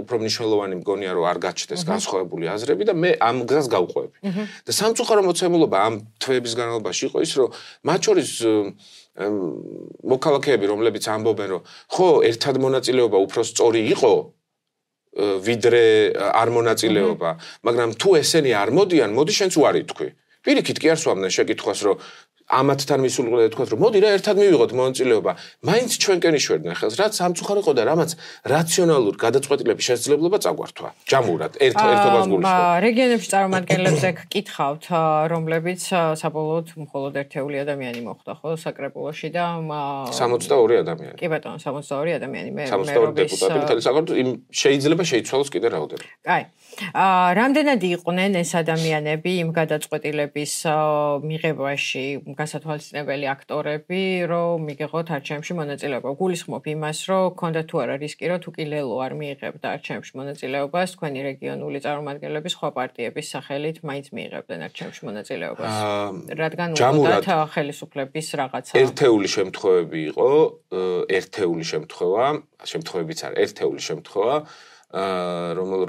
უფრო მნიშვნელოვანი მგონია, რომ არ გაჩნდეს განსხვავებული აზრები და მე ამ გზას გავყვები. და სამწუხარო მოცემულობა ამ თვეების განმავლობაში იყო ის, რომ მათ შორის მოქალაქეები, რომლებიც ამბობენ, რომ ხო, ერთად მონაწილეობა უფრო სწორი იყო, ვიდრე არ მონაწილეობა, მაგრამ თუ ესენი არ მოდიან, მოდი შენც უარი თქვი. პირიქით კი არ სვამდნენ შეკითხვას, რომ ამათთან მისულყლე თქვათ, რომ მოდი რა ერთად მივიღოთ მონაწილეობა. მაინც ჩვენკენ იშვერდნენ ხელს, რაც სამწუხარო იყო და რამაც რაციონალურ გადაწყვეტილების შესაძლებლობა წაგვართვა. ჯამურად ერთობას გულისხმობ. რეგიონებში წარმომადგენლებზე გკითხავთ, რომლებიც საბოლოოდ მხოლოდ ერთეული ადამიანი მოხვდა, ხო, საკრებულოში და 62 ადამიანი. კი ბატონო, 62 ადამიანი. მე 62 დეპუტატი მთელი საქართველოს შეიძლება შეიცვალოს კიდე რაოდენობა. კაი. რამდენად იყვნენ ეს ადამიანები იმ გადაწყვეტილების მიღებაში გასათვალისწინებელი აქტორები, რომ მიგიღოთ არჩევნებში მონაწილეობა. გულისხმობ იმას, რომ გქონდა თუ არა რისკი, რომ თუ კი ლელო არ მიიღებდა არჩევნებში მონაწილეობას, თქვენი რეგიონული წარმომადგენლები სხვა პარტიების სახელით მაინც მიიღებდნენ არჩევნებში მონაწილეობას. რადგან უყურდათ ხელისუფლების რაღაცა. ერთეული შემთხვევები იყო, ერთეული შემთხვევებიც არის, ერთეული შემთხვევა,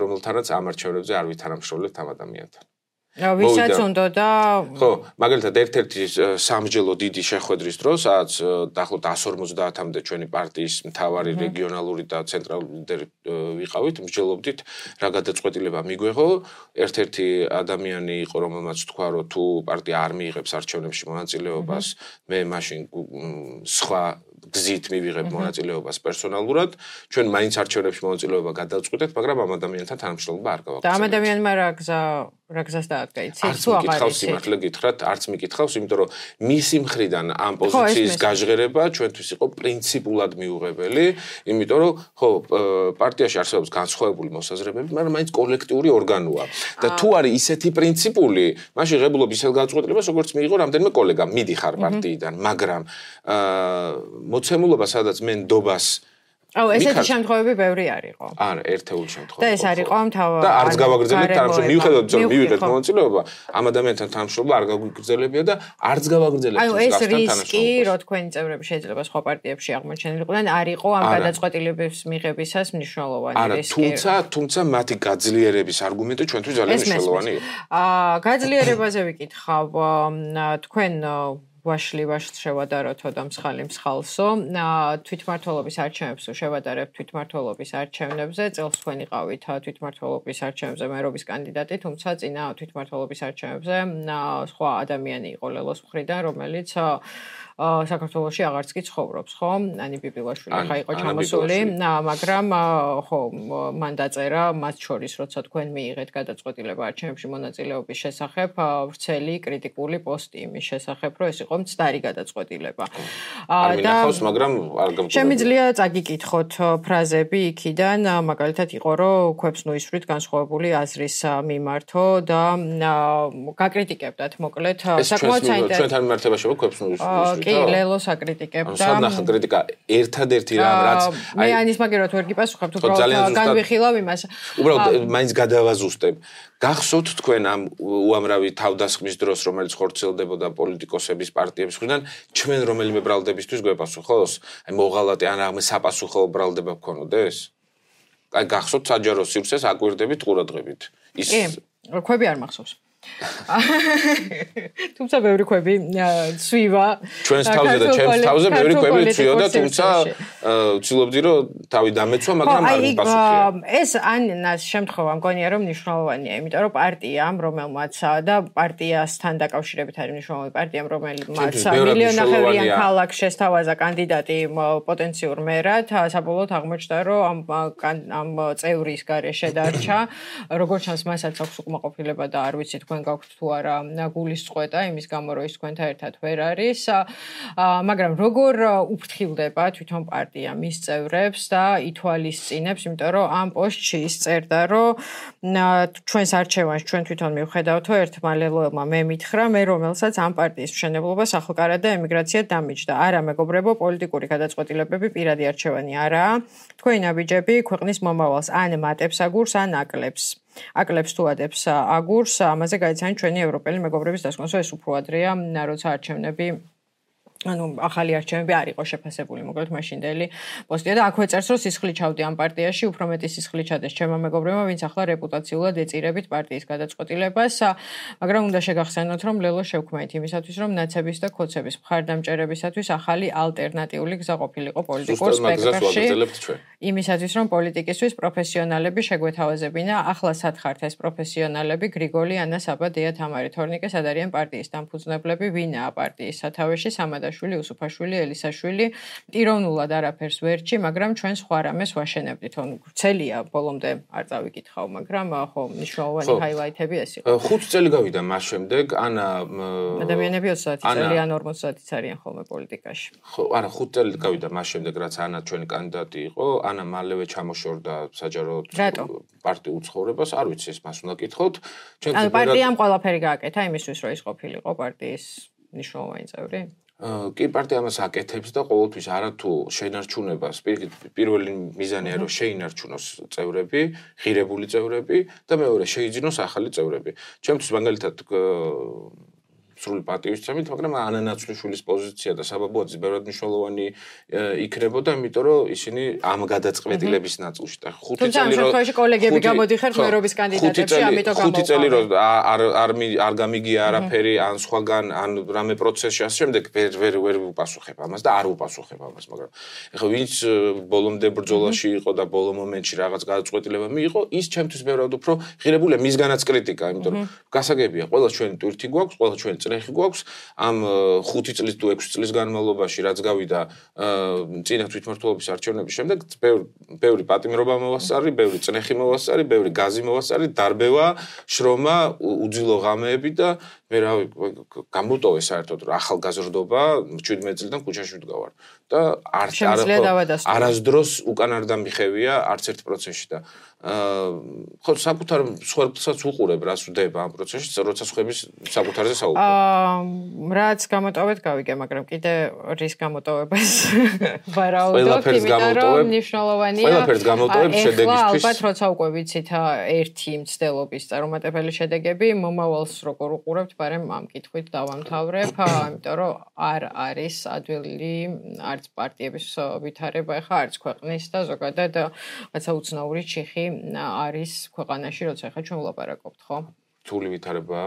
რომელთანაც ამ არჩევნებზე არ ვითანამშრომლებთ ამ ადამიანთან. ვისაც უნდა და ხო, მაგალითად ერთ-ერთი სამსჯელო დიდი შეხვედრის დროს, სადაც დაახლოებით 150-მდე ჩვენი პარტიის მთავარი რეგიონალური და ცენტრალური ლიდერი ვიყავით, მსჯელობდით რა გადაწყვეტილება მიგვეღო. ერთ-ერთი ადამიანი იყო, რომელმაც თქვა, რომ თუ პარტია არ მიიღებს არჩევნებში მონაწილეობას, მე მაშინ სხვა გზით მივიღებ მონაწილეობას პერსონალურად. ჩვენ მაინც არჩევნებში მონაწილეობა გადავწყვეტეთ, მაგრამ ამ ადამიანთან თანამშრომლობა არ გავაკეთებთ. და ამ ადამიანმა რა გზა რა გზას დაადგა, არც მიკითხავს სიმართლე გითხრათ, არც მიკითხავს, იმიტომ რომ მისი მხრიდან ამ პოზიციის გაჟღერება ჩვენთვის იყო პრინციპულად მიუღებელი, იმიტომ რომ ხო, პარტიაში არსებობს განსხვავებული მოსაზრებები, მაგრამ მაინც კოლექტიური ორგანოა. და თუ არის ისეთი პრინციპული, მაშინ ღებულობ ისეთ გადაწყვეტილებას, როგორც მიიღო რამდენიმე კოლეგამ, მიდიხარ პარტიიდან, მაგრამ მოცემულობა, სადაც მე ნდობას ესეთი შემთხვევები ბევრი არისო. არა, ერთეული შემთხვევა. და ეს არისო და არც გავაგრძელებთ თანამშრომლობა. მიუხედავად იმისა, რომ მივიღეთ მონაწილეობა, ამ ადამიანთან თანამშრომლობა არ გავაგრძელებია და არც გავაგრძელებთ ეს რისკი, რომ თქვენი წევრები შეიძლება სხვა პარტიებში აღმოჩენილიყვნენ, არისო ამ გადაწყვეტილების მიღებისას მნიშვნელოვანი რისკი. თუმცა მათი გაძლიერების არგუმენტი ჩვენთვის ძალიან მნიშვნელოვანი იყო. გაძლიერებაზე ვიკითხავ, თქვენ ვაშლივაშ შევადაროთო და მსხალი მსხალსო თვითმმართველობის არჩევნებს შევადარებთ თვითმმართველობის არჩევნებზე წელს თქვენ იყავით თვითმმართველობის არჩევნებზე მერობის კანდიდატი თუმცა წინა თვითმმართველობის არჩევნებზე სხვა ადამიანი იყო ლელოს მხრიდან რომელიც საქართველოში აღარც კი ცხოვრობს, ხო? ანი ბიბილაშვილი ხა იყო ჩამოსული, მაგრამ ხო, მან დაწერა მათ შორის, როცა თქვენ მიიღეთ გადაწყვეტილება არჩევნებში მონაწილეობის შესახებ, ვრცელი კრიტიკული პოსტი იმის შესახებ, რომ ეს იყო მცდარი გადაწყვეტილება. არ მინახავს, მაგრამ არ გამგონია. შემიძლია წაგიკითხოთ ფრაზები იქიდან, მაგალითად იყო, რომ ქვებს ნუისვრით განსხვავებული აზრის მიმართო და გაკრიტიკებდათ, მოკლედ, საკმაოდ საინტერესო. ჩვენთან მიმართება შევა ქვებს ნუისვრით. კი, ლელოს აკრიტიკებდა. სადნახა კრიტიკა ერთადერთი რამ რაც მე ანის მაგერად ვერ გიპასუხებ, უბრალოდ განვიხილავ იმას. უბრალოდ მაინც გადავაზუსტებ. გახსოვთ თქვენ ამ უამრავი თავდასხმის დროს, რომელიც ხორციელდებოდა პოლიტიკოსების პარტიების მხრიდან, ჩვენ რომელიმე ბრალდებისთვის გვეპასუხოს? აი მოღალატე ან რამე საპასუხო ბრალდება გქონოდეს? აი გახსოვთ საჯარო სივრცეს აკვირდებით ყურადღებით. ის ქვები არ მახსოვს. თუმცა ბევრი ქვები ცვივა ჩვენს თავზე და ჩემს თავზე ბევრი ქვები ცვიოდა თუმცა ვცდილობდი რომ თავი დამეცვა მაგრამ არ მიპასუხია ეს ანას შემთხვევა მგონია რომ მნიშვნელოვანია იმიტომ რომ პარტიამ რომელმაც და პარტიასთან დაკავშირებით არის მნიშვნელოვანი პარტიამ რომელმაც მილიონახევრიან ქალაქს შესთავაზა კანდიდატი პოტენციურ მერად საბოლოოდ აღმოჩნდა რომ ამ წევრის გარეშე დარჩა როგორც ჩანს მასაც აქვს უკმაყოფილება და არ ვიცი თქვენ გაქვთ თუ არა გულისწყვეტა იმის გამო რომ ის თქვენთან ერთად ვერ არის მაგრამ როგორ უფრთხილდება თვითონ პარტია მის წევრებს და ითვალისწინებს იმიტომ რომ ამ პოსტში ის წერდა რომ ჩვენს არჩევანს ჩვენ თვითონ მივხედავთო ერთმა ლელოელმა მე მითხრა მე რომელსაც ამ პარტიის მშენებლობას ახალკარად და ემიგრაცია დამიჯდა არა მეგობრებო პოლიტიკური გადაწყვეტილებები პირადი არჩევანი არაა თქვენი ნაბიჯები ქვეყნის მომავალს ან მატებს აგურს ან აკლებს თუ ადებს აგურს ამაზე გაიცანით ჩვენი ევროპელი მეგობრების დასკვნას ეს უფრო ადრეა როცა არჩევნები ანუ ახალი არჩევნები არ იყო შეფასებული მოკლედ მაშინდელი პოსტია და აქვე წერს რომ სისხლი ჩავდი ამ პარტიაში უფრო მეტი სისხლი ჩადეს ჩემმა მეგობრებმა ვინც ახლა რეპუტაციულად ეწირებით პარტიის გადაწყვეტილებას მაგრამ უნდა შეგახსენოთ რომ ლელო შევქმნით იმისათვის რომ ნაცების და ქოცების მხარდამჭერებისათვის ახალი ალტერნატიული გზა ყოფილიყო პოლიტიკურ სპექტრში იმისათვის რომ პოლიტიკისთვის პროფესიონალები შეგვეთავაზებინა ახლა სათხართ ეს პროფესიონალები გრიგოლი ანა საბა დია თამარი თორნიკე სად არიან პარტიის დამფუძნებლები ვინაა პარტიის სათავეში სამადაშვილი უსუფაშვილი ელისაშვილი ტიროვნულად არაფერს ვერჩი მაგრამ ჩვენ სხვა რამეს ვაშენებდით თო ვრცელია ბოლომდე არ წავიკითხავ მაგრამ ხო მნიშვნელოვანი ჰაილაითები ეს იყო 5 წელი გავიდა მას შემდეგ ანა ადამიანები 30 წელი ან 40 არიან ხოლმე პოლიტიკაში ხო არა 5 წელი გავიდა მას შემდეგ რაც ანა ჩვენი კანდიდატი იყო ანა მალევე ჩამოშორდა საჯარო პარტიულ ცხოვრებას არ ვიცი ეს მას უნდა კითხოთ ჩვენ პარტიამ ყველაფერი გააკეთა იმისთვის რომ ის ყოფილიყო პარტიის მნიშვნელოვანი წევრი კი პარტია ამას აკეთებს და ყოველთვის არათუ შენარჩუნებას პირველი მიზანია რომ შეინარჩუნოს წევრები, ღირებული წევრები და მეორე შეიძინოს ახალი წევრები. ჩემთვის მაგალითად სრული პატივისცემით, მაგრამ ანანაცვლიშვილის პოზიცია და საბაბუაძის ბევრად მნიშვნელოვანი იქნებოდა, იმიტომ რომ ისინი ამ გადაწყვეტილების ნაწილში და 5 წელი რომ თუმცა კოლეგები გამოდიხართ მერობის კანდიდატებში, ამიტომ 5 წელი რომ არ გამიგია არაფერი ან სხვაგან ან რამე პროცესში ასე შემდეგ ვერ უპასუხებ ამას და არ უპასუხებ ამას, მაგრამ ეხლა ვინც ბოლომდე ბრძოლაში იყო და ბოლო მომენტში რაღაც გადაწყვეტილება მიიღო, ის ჩემთვის ბევრად უფრო ღირებულია მისგანაც კრიტიკა, იმიტომ რომ გასაგებია, ყველა ჩვენი ტვირთი გვაქვს, ყველა ჩვენ წნეხი გვაქვს ამ 5 წლის თუ 6 წლის განმავლობაში რაც გავიდა წინა თვითმმართველობის არჩევნების შემდეგ ბევრი პატიმრობა მოვასწარი, ბევრი წნეხი მოვასწარი, ბევრი გაზი მოვასწარი, დარბევა, შრომა, უძილო ღამეები და მე რავი გამოტოვე საერთოდ რომ ახალგაზრდობა 17 წლიდან ქუჩაში ვდგავარ და არასდროს უკან არ დამიხევია არც ერთ პროცესში და ხო საკუთარ სხვებსაც უყურებ რას ვდება ამ პროცესში როცა სხვების საკუთარზე საუბრობ რაც გამოტოვეთ გავიგე მაგრამ კიდე რის გამოტოვებას ვარაუდობ იმიტომ რომ მნიშვნელოვანია ყველაფერს გამოტოვებ შედეგისთვის ალბათ როცა უკვე ვიცით ერთი მცდელობის წარუმატებელი შედეგები მომავალს როგორ უყურებთ მაგრამ ამ კითხვით დავამთავრებ იმიტომ რომ არ არის ადვილი არც პარტიების ვითარება ახლა არც ქვეყნის და ზოგადად რაცა უცნაური ჩიხი არის ქვეყანაში, როცა ახლა ჩვენ ვლაპარაკობთ, ხო? რთული ვითარება.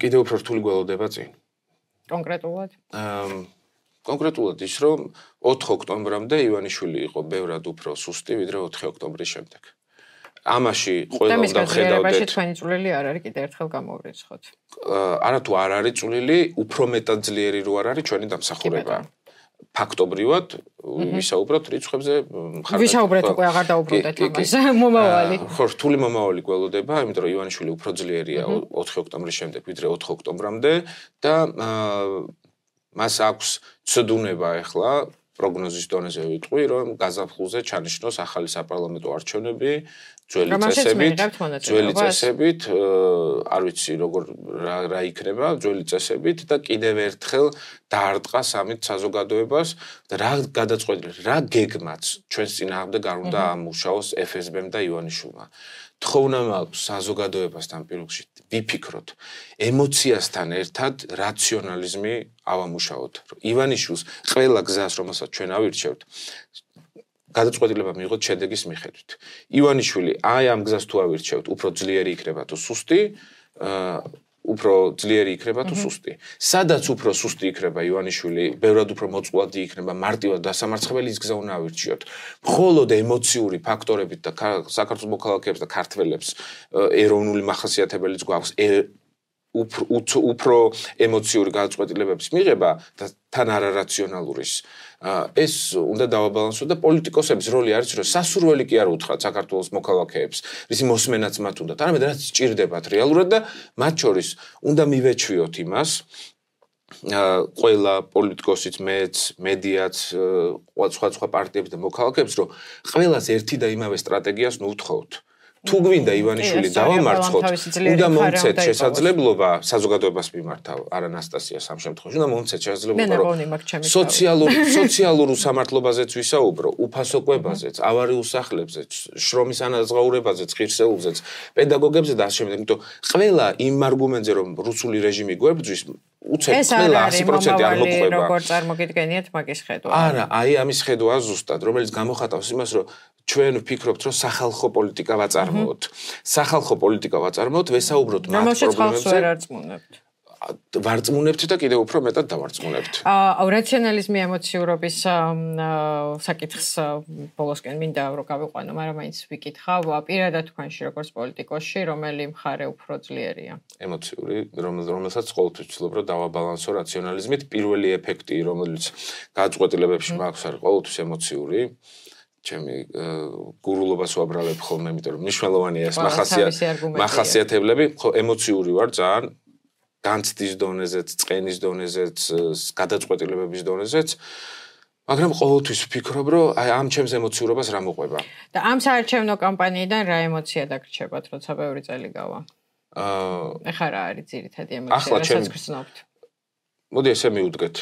კიდევ უფრო რთული გველოდება წინ. კონკრეტულად? კონკრეტულად ის, რომ 4 ოქტომბრამდე ივანიშვილი იყო ბევრად უფრო სუსტი, ვიდრე 4 ოქტომბრის შემდეგ. ამაში ყველა უნდა ხედავდეთ. თქვენი წვლილი არ არის კიდევ ერთხელ გამოვრიცხოთ. არათუ არ არის წვლილი, უფრო მეტად ძლიერი რო არ არის ჩვენი დამსახურება. ფაქტობრივად ვისაუბროთ რიცხვებზე ვისაუბრეთ უკვე აღარ დაუბრუნდეთ ამას მომავალი ხო რთული მომავალი გველოდება იმიტომ რომ ივანიშვილი უფრო ძლიერია 4 ოქტომბრის შემდეგ ვიდრე 4 ოქტომბრამდე და მას აქვს ცდუნება ახლა პროგნოზის დონეზე ვიტყვი რომ გაზაფხულზე ჩანიშნოს ახალი საპარლამენტო არჩევნები ძველი წესებით არ ვიცი როგორ რა იქნება ძველი წესებით და კიდევ ერთხელ დაარტყა სამით საზოგადოებას და რა გადაწყვეტილება რა გეგმაც ჩვენს წინააღმდეგ არ უნდა ამუშაოს FSB-მ და ივანიშვილმა თხოვნა მაქვს საზოგადოებასთან პირველში ვიფიქროთ ემოციასთან ერთად რაციონალიზმი ავამუშაოთ ივანიშვილს ყველა გზას რომელსაც ჩვენ ავირჩევთ გადაწყვეტილება მიიღოთ შედეგის მიხედვით. ივანიშვილი აი ამ გზას თუ ავირჩევთ, უფრო ძლიერი იქნება თუ სუსტი, უფრო ძლიერი იქნება თუ სუსტი. სადაც უფრო სუსტი იქნება ივანიშვილი, ბევრად უფრო მოწყვლადი იქნება, მარტივად დასამარცხებელი ის გზა უნდა ავირჩიოთ. მხოლოდ ემოციური ფაქტორებით და საქართველოს მოქალაქეებს და ქართველებს ეროვნული მახასიათებელიც გვაქვს უფრო ემოციური გადაწყვეტილებების მიღება და თან არარაციონალურის ეს უნდა დავაბალანსოთ და პოლიტიკოსების როლი არის რომ სასურველი კი არ უთხრათ საქართველოს მოქალაქეებს რისი მოსმენაც მათ უნდათ არამედ რაც სჭირდებათ რეალურად და მათ შორის უნდა მივეჩვიოთ იმას ყველა პოლიტიკოსიც მეც მედიაც სხვა პარტიებს და მოქალაქეებს რომ ყველას ერთი და იმავე სტრატეგიას ნუვთხოვთ თუ გვინდა ივანიშვილი დავამარცხოთ, უნდა მომცეთ შესაძლებლობა საზოგადოებას მიმართავ, არა ანასტასიას ამ შემთხვევაში, უნდა მომცეთ შესაძლებლობა, რომ სოციალურ სამართლებაზეც ვისაუბრო, უფასო კვებაზეც, ავარიულ სახლებზეც, შრომის ანაზღაურებაზეც, ღირსეულზეც, პედაგოგებზე და ასე შემდეგ. იმიტომ ყველა იმ არგუმენტზე, რომ რუსული რეჟიმი გვებრძვის, უცებ ყველა 100% არ მოყვება. როგორ წარმოგიდგენიათ მაგის ხედვა? არა, აი ამის ხედვა ზუსტად, რომელიც გამოხატავს იმას, რომ ჩვენ ვფიქრობთ, რომ სახალხო პოლიტიკა ვაწარმოოთ. სახალხო პოლიტიკა ვაწარმოოთ, ვესაუბროთ მათ პრობლემებზე. ვარწმუნებთ და კიდევ უფრო მეტად დავარწმუნებთ. რაციონალიზმი ემოციურობის საკითხს ბოლოსკენ მინდა რომ გავიყვანო, მაგრამ მაინც ვიკითხავ პირადად თქვენში როგორც პოლიტიკოსში, რომელი მხარე უფრო ძლიერია? ემოციური, რომელსაც ყოველთვის ვცდილობ რომ დავაბალანსო რაციონალიზმით. პირველი ეფექტი, რომელიც გადაწყვეტილებებში მაქვს, არის ყოველთვის ემოციური. ჩემი გურულობას ვაბრალებ ხოლმე, იმიტომ რომ მნიშვნელოვანია ეს მახასიათებლები, ხო ემოციური ვარ ძალიან განცდის დონეზეც, წყენის დონეზეც, გადაწყვეტილებების დონეზეც, მაგრამ ყოველთვის ვფიქრობ, რომ აი ამ ჩემს ემოციურობას რა მოყვება. და ამ საარჩევნო კამპანიიდან რა ემოცია დაგრჩებათ, როცა ბევრი წელი გავა? ეხლა რა არის ძირითადი ემოცია, რასაც გრძნობთ? მოდი ესე მივუდგეთ.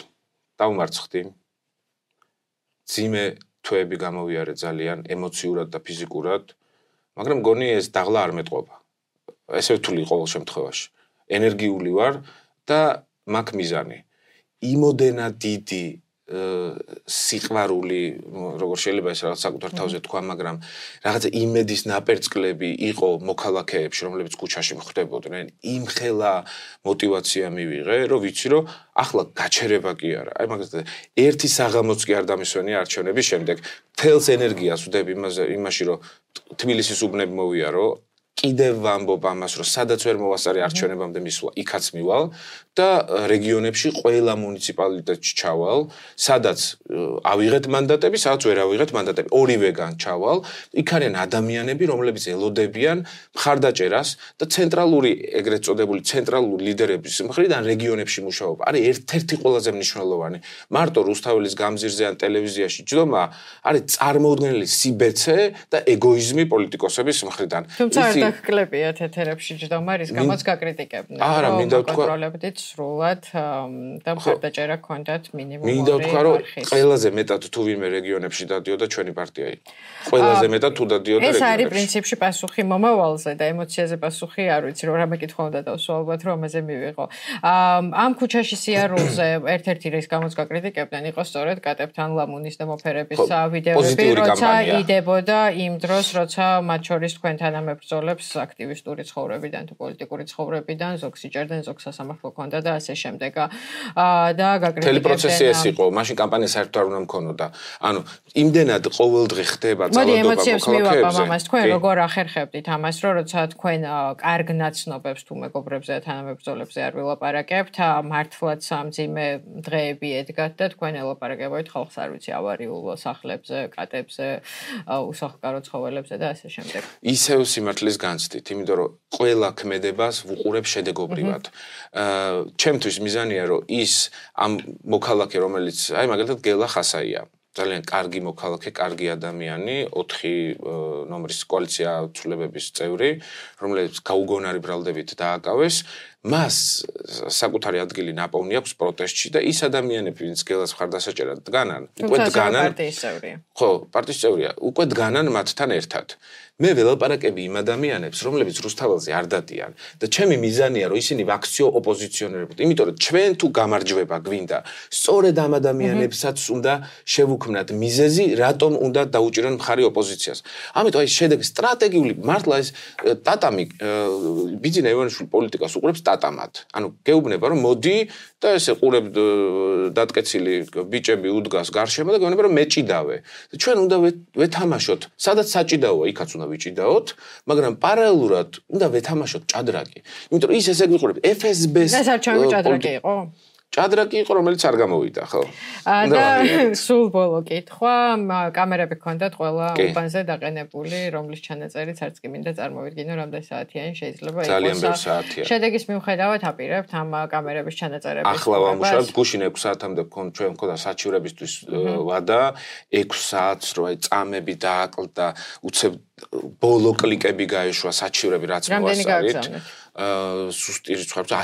დავმარცხდი. ძიმე თვეები გამოვიარე ძალიან ემოციურად და ფიზიკურად, მაგრამ მგონი ეს დაღლა არ მეტყობა. ესე ვთვლი ყოველ შემთხვევაში. ენერგიული ვარ და მაქვს მიზანი. იმოდენა დიდი სიყვარული, როგორ შეიძლება ეს რაღაც საკუთარ თავზე თქვა, მაგრამ რაღაცა იმედის ნაპერწკლები იყო მოქალაქეებში, რომლებიც ქუჩაში მხვდებოდნენ, იმხელა მოტივაცია მივიღე, რომ ვიცი, რომ ახლა გაჩერება კი არა. აი მაგალითად, ერთი საღამოც კი არ დამისვენია არჩევნების შემდეგ, თელს ენერგიას ვდებ იმაში, რომ თბილისის უბნები მოვიარო, კიდევ ვამბობ ამას, რომ სადაც ვერ მოვასწარე არჩევნებამდე მისვლა, იქაც მივალ და რეგიონებში ყველა მუნიციპალიტეტში ჩავალ, სადაც ავიღეთ მანდატები, სადაც ვერ ავიღეთ მანდატები, ორივეგან ჩავალ. იქ არიან ადამიანები, რომლებიც ელოდებიან მხარდაჭერას და ცენტრალური ეგრეთ წოდებული ცენტრალური ლიდერების მხრიდან რეგიონებში მუშაობა. არის ერთ-ერთი ყველაზე მნიშვნელოვანი. მარტო რუსთაველის გამზირზე ან ტელევიზიაში ჯდომა არის წარმოუდგენელი სიბეცე და ეგოიზმი პოლიტიკოსების მხრიდან. თუმცა არ დაგკლებიათ ეთერებში ჯდომა, რის გამოც გაკრიტიკებდნენ. არა, მინდა ვთქვა, კონტროლებდით სრულად და მხარდაჭერა ჰქონდათ მინიმუმური. მინდა ვთქვა, რომ ყველაზე მეტად თუ ვინმე რეგიონებში დადიოდა ჩვენი პარტია იყო. ყველაზე მეტად თუ დადიოდა რეგიონებში. ეს არის პრინციპში პასუხი მომავალზე და ემოციაზე პასუხი არ ვიცი, რომ რამე კითხვა უნდა დავსვა ალბათ, რომ ამაზე მივიღო. ამ ქუჩაში სიარულზე ერთ-ერთი რის გამოც გაკრიტიკებდნენ იყო სწორედ კატებთან ლამუნის და მოფერების ვიდეოები, როცა იდებოდა იმ დროს, როცა მათ შორის თქვენ თანამებრძოლებს აქტივისტური ცხოვრებიდან თუ პოლიტიკური ცხოვრებიდან ზოგს იჭერდნენ, ზოგს სასამართლო ჰქონდა და ასე შემდეგ. და გაკრიტიკებდნენ. მთელი პროცესი ეს იყო, მაშინ კამპანია საერთოდ არ უნდა მქონოდა. ანუ იმდენად ყოველდღე ხდება ძალადობა მოქალაქეებზე. მოდი ემოციებს მივაყავ ამას, თქვენ როგორ ახერხებდით ამას, რომ როცა თქვენ კარგ ნაცნობებს თუ მეგობრებზე და თანამებრძოლებზე არ ვილაპარაკებთ, მართლაც სამძიმე დღეები ედგათ და თქვენ ელაპარაკებთ ხალხს არ ვიცი ავარიულ სახლებზე, კატებზე, უსახლკარო ცხოველებზე და ასე შემდეგ. ისევ სიმართლის განცდით, იმიტომ რომ ყველა ქმედებას ვუყურებ შედეგობრივად. ჩემთვის მიზანია რომ ის ამ მოქალაქე რომელიც აი მაგალითად გელა ხასაია ძალიან კარგი მოქალაქე, კარგი ადამიანი, 4 ნომრის კოალიცია ცვლილებების წევრი, რომელიც გაუგონარი ბრალდებით დააკავეს, მას საკუთარი ადგილი ნაპოვნი აქვს პროტესტში და ის ადამიანები, ვინც გელას მხარდასაჭერად დგანან, უკვე დგანან პარტიის წევრია. ხო, პარტიის წევრია, უკვე დგანან მათთან ერთად. მე ველაპარაკები იმ ადამიანებს, რომლებიც რუსთაველზე არ დადიან და ჩემი მიზანია, რომ ისინი ვაქციო ოპოზიციონერებოდ, იმიტომ რომ ჩვენ თუ გამარჯვება გვინდა, სწორედ ამ ადამიანებსაც უნდა შევუქმნათ მიზეზი, რატომ უნდა დაუჭირონ მხარი ოპოზიციას. ამიტომ აი შედეგი სტრატეგიული მართლა ეს ტატამი ბიძინა ივანიშვილი პოლიტიკას უყურებს ტატამად. ანუ გეუბნება რომ მოდი და ესე ყურებ დატკეცილი ბიჭები უდგას გარშემო და გეუბნება რომ მეჭიდავე. ჩვენ უნდა ვეთამაშოთ, სადაც საჭიდაოა, იქაც უნდა ვიჭიდაოთ, მაგრამ პარალელურად უნდა ვეთამაშოთ ჭადრაკი. იმიტომ რომ ის ესე გვიყურებს FSB-ს. ეს არჩევანი ჭადრაკი იყო? ჭადრაკი იყო, რომელიც არ გამოვიდა, ხო? და სულ ბოლო კითხვა, კამერები ჰქონდათ ყველა უბანზე დაყენებული, რომლის ჩანაწერიც არც კი მინდა წარმოვიდგინო, რამდენი საათიანი შეიძლება იყოს. ძალიან ბევრი საათია. შედეგის მიუხედავად აპირებთ ამ კამერების ჩანაწერების. ახლა ვამუშავებთ, გუშინ 6 საათამდე ჩვენ მქონდა საჩივრებისთვის ვადა, 6 საათს რო აი წამები დააკლდა, უცებ ბოლო კლიკები გაეშვა საჩივრები რაც მოვასწარით. სუსტი რიცხვებს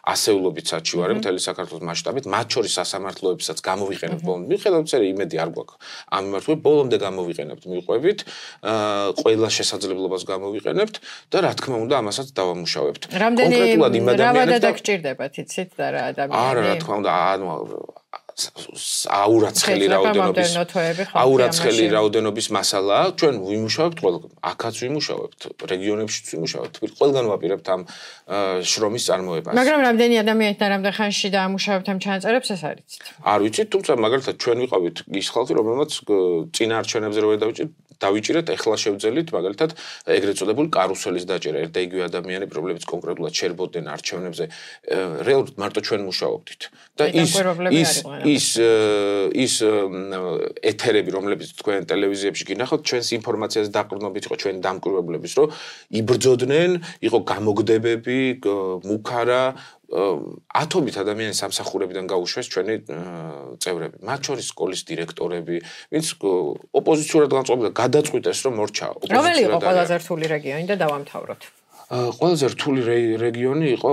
ასეულობით საჩივარი მთელი საქართველოს მასშტაბით, მათ შორის სასამართლოებსაც გამოვიყენებთ ბოლომდე. მიხედავთ, იმედი არ გვაქვს. ამ მიმართულებით ბოლომდე გამოვიყენებთ, მიყვებით, ყველა შესაძლებლობას გამოვიყენებთ და რა თქმა უნდა, ამასაც დავამუშავებთ. კონკრეტულად იმ ადამიანებს და გჭირდებათ, იცით და რა ადამიანები. არა, რა თქმა უნდა, აურაცხელი რაოდენობის მასალაა. ჩვენ ვიმუშავებთ ყველა, აქაც ვიმუშავებთ, რეგიონებშიც ვიმუშავებთ. ყველგან ვაპირებთ ამ შრომის წარმოებას. მაგრამ რამდენი ადამიანი და რამდენ ხანში დაამუშავებთ ამ ჩანაწერებს, ეს არ იცით. არ ვიცით, თუმცა მაგალითად ჩვენ ვიყავით ის ხალხი, რომელმაც წინა არჩევნებზე რო დავიჭირეთ, ეხლა შევძელით მაგალითად ეგრეთ წოდებული კარუსელის დაჭერა. ერთ და იგივე ადამიანები, რომლებიც კონკრეტულად შერბოდნენ არჩევნებზე, რეალურად მარტო ჩვენ მუშაობდით. და ის ეთერები, რომლებიც თქვენ ტელევიზიებში გინახავთ, ჩვენს ინფორმაციას დაყრდნობით იყო ჩვენი დამკვირვებლების, რომ იბრძოდნენ, იყო გამოგდებები, მუქარა ათობით ადამიანის სამსახურებიდან გაუშვეს ჩვენი წევრები, მათ შორის სკოლის დირექტორები, ვინც ოპოზიციურად განწყობილდა, გადაწყვიტეს, რომ მორჩა ოპოზიცია. რომელი იყო ყველაზე რთული რეგიონი და დავამთავროთ? ყველაზე რთული რეგიონი იყო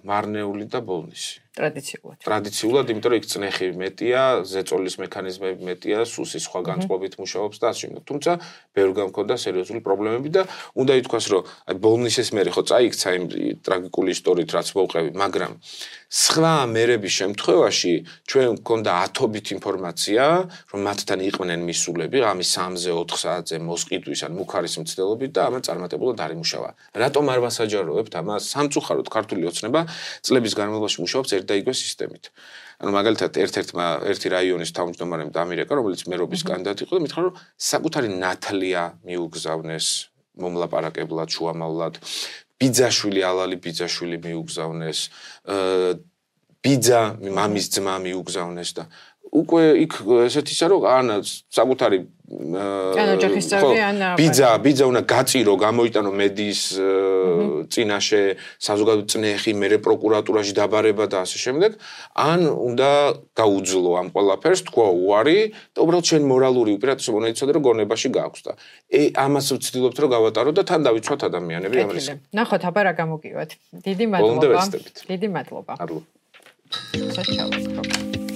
მარნეული და ბოლნისი. ტრადიციულად, იმიტომ რომ იქ წნეხი მეტია, ზეწოლის მექანიზმები მეტია, სუსის სხვა განწყობით მუშაობს და ასე შემდეგ. თუმცა ბევრ გამქონდა სერიოზული პრობლემები და უნდა ითქვას, რომ აი ბოლნისის მერე ხო წაიქცა იმ ტრაგიკული ისტორიით, რაც მოვყევი, მაგრამ სხვა მერების შემთხვევაში ჩვენ მქონდა ათობით ინფორმაცია, რომ მათთან იყვნენ მისულები, ამის 3-4 საათზე მოსყიდვის ან მუქარის მცდელობით და ამან წარმატებულად არ იმუშავა. რატომ არ ვასაჯაროებთ ამას? სამწუხაროდ ქართული ოცნება წლების განმავლობაში მუშაობს ერთ და იგივე სისტემით. ანუ მაგალითად ერთი რაიონის თავმჯდომარემ დამირეკა, რომელიც მერობის კანდიდატი იყო და მითხრა, რომ საკუთარი ნათლია მიუგზავნეს მომლაპარაკებლად, შუამავლად. ბიძაშვილი, ალალი ბიძაშვილი მიუგზავნეს. ბიძა მამის ძმა მიუგზავნეს და უკვე იქ ესეთი ისე რომ ან საკუთარი ოჯახის წევრი ან ბიძა უნდა გაწირო, გამოიტანო მედიის წინაშე საზოგადო წნეხი, მერე პროკურატურაში დაბარება და ასე შემდეგ, ან უნდა გაუძლო ამ ყველაფერს, თქვა უარი და უბრალოდ შენ მორალური უპირატესობა უნდა იცოდე რომ გონებაში გააქვს და ამას ვცდილობთ რომ გავატარო და თან დავიცვათ ადამიანები ამ რისკს. ნახოთ აბა რა გამოგივათ. დიდი მადლობა. დიდი მადლობა. მადლობა. საჩავო.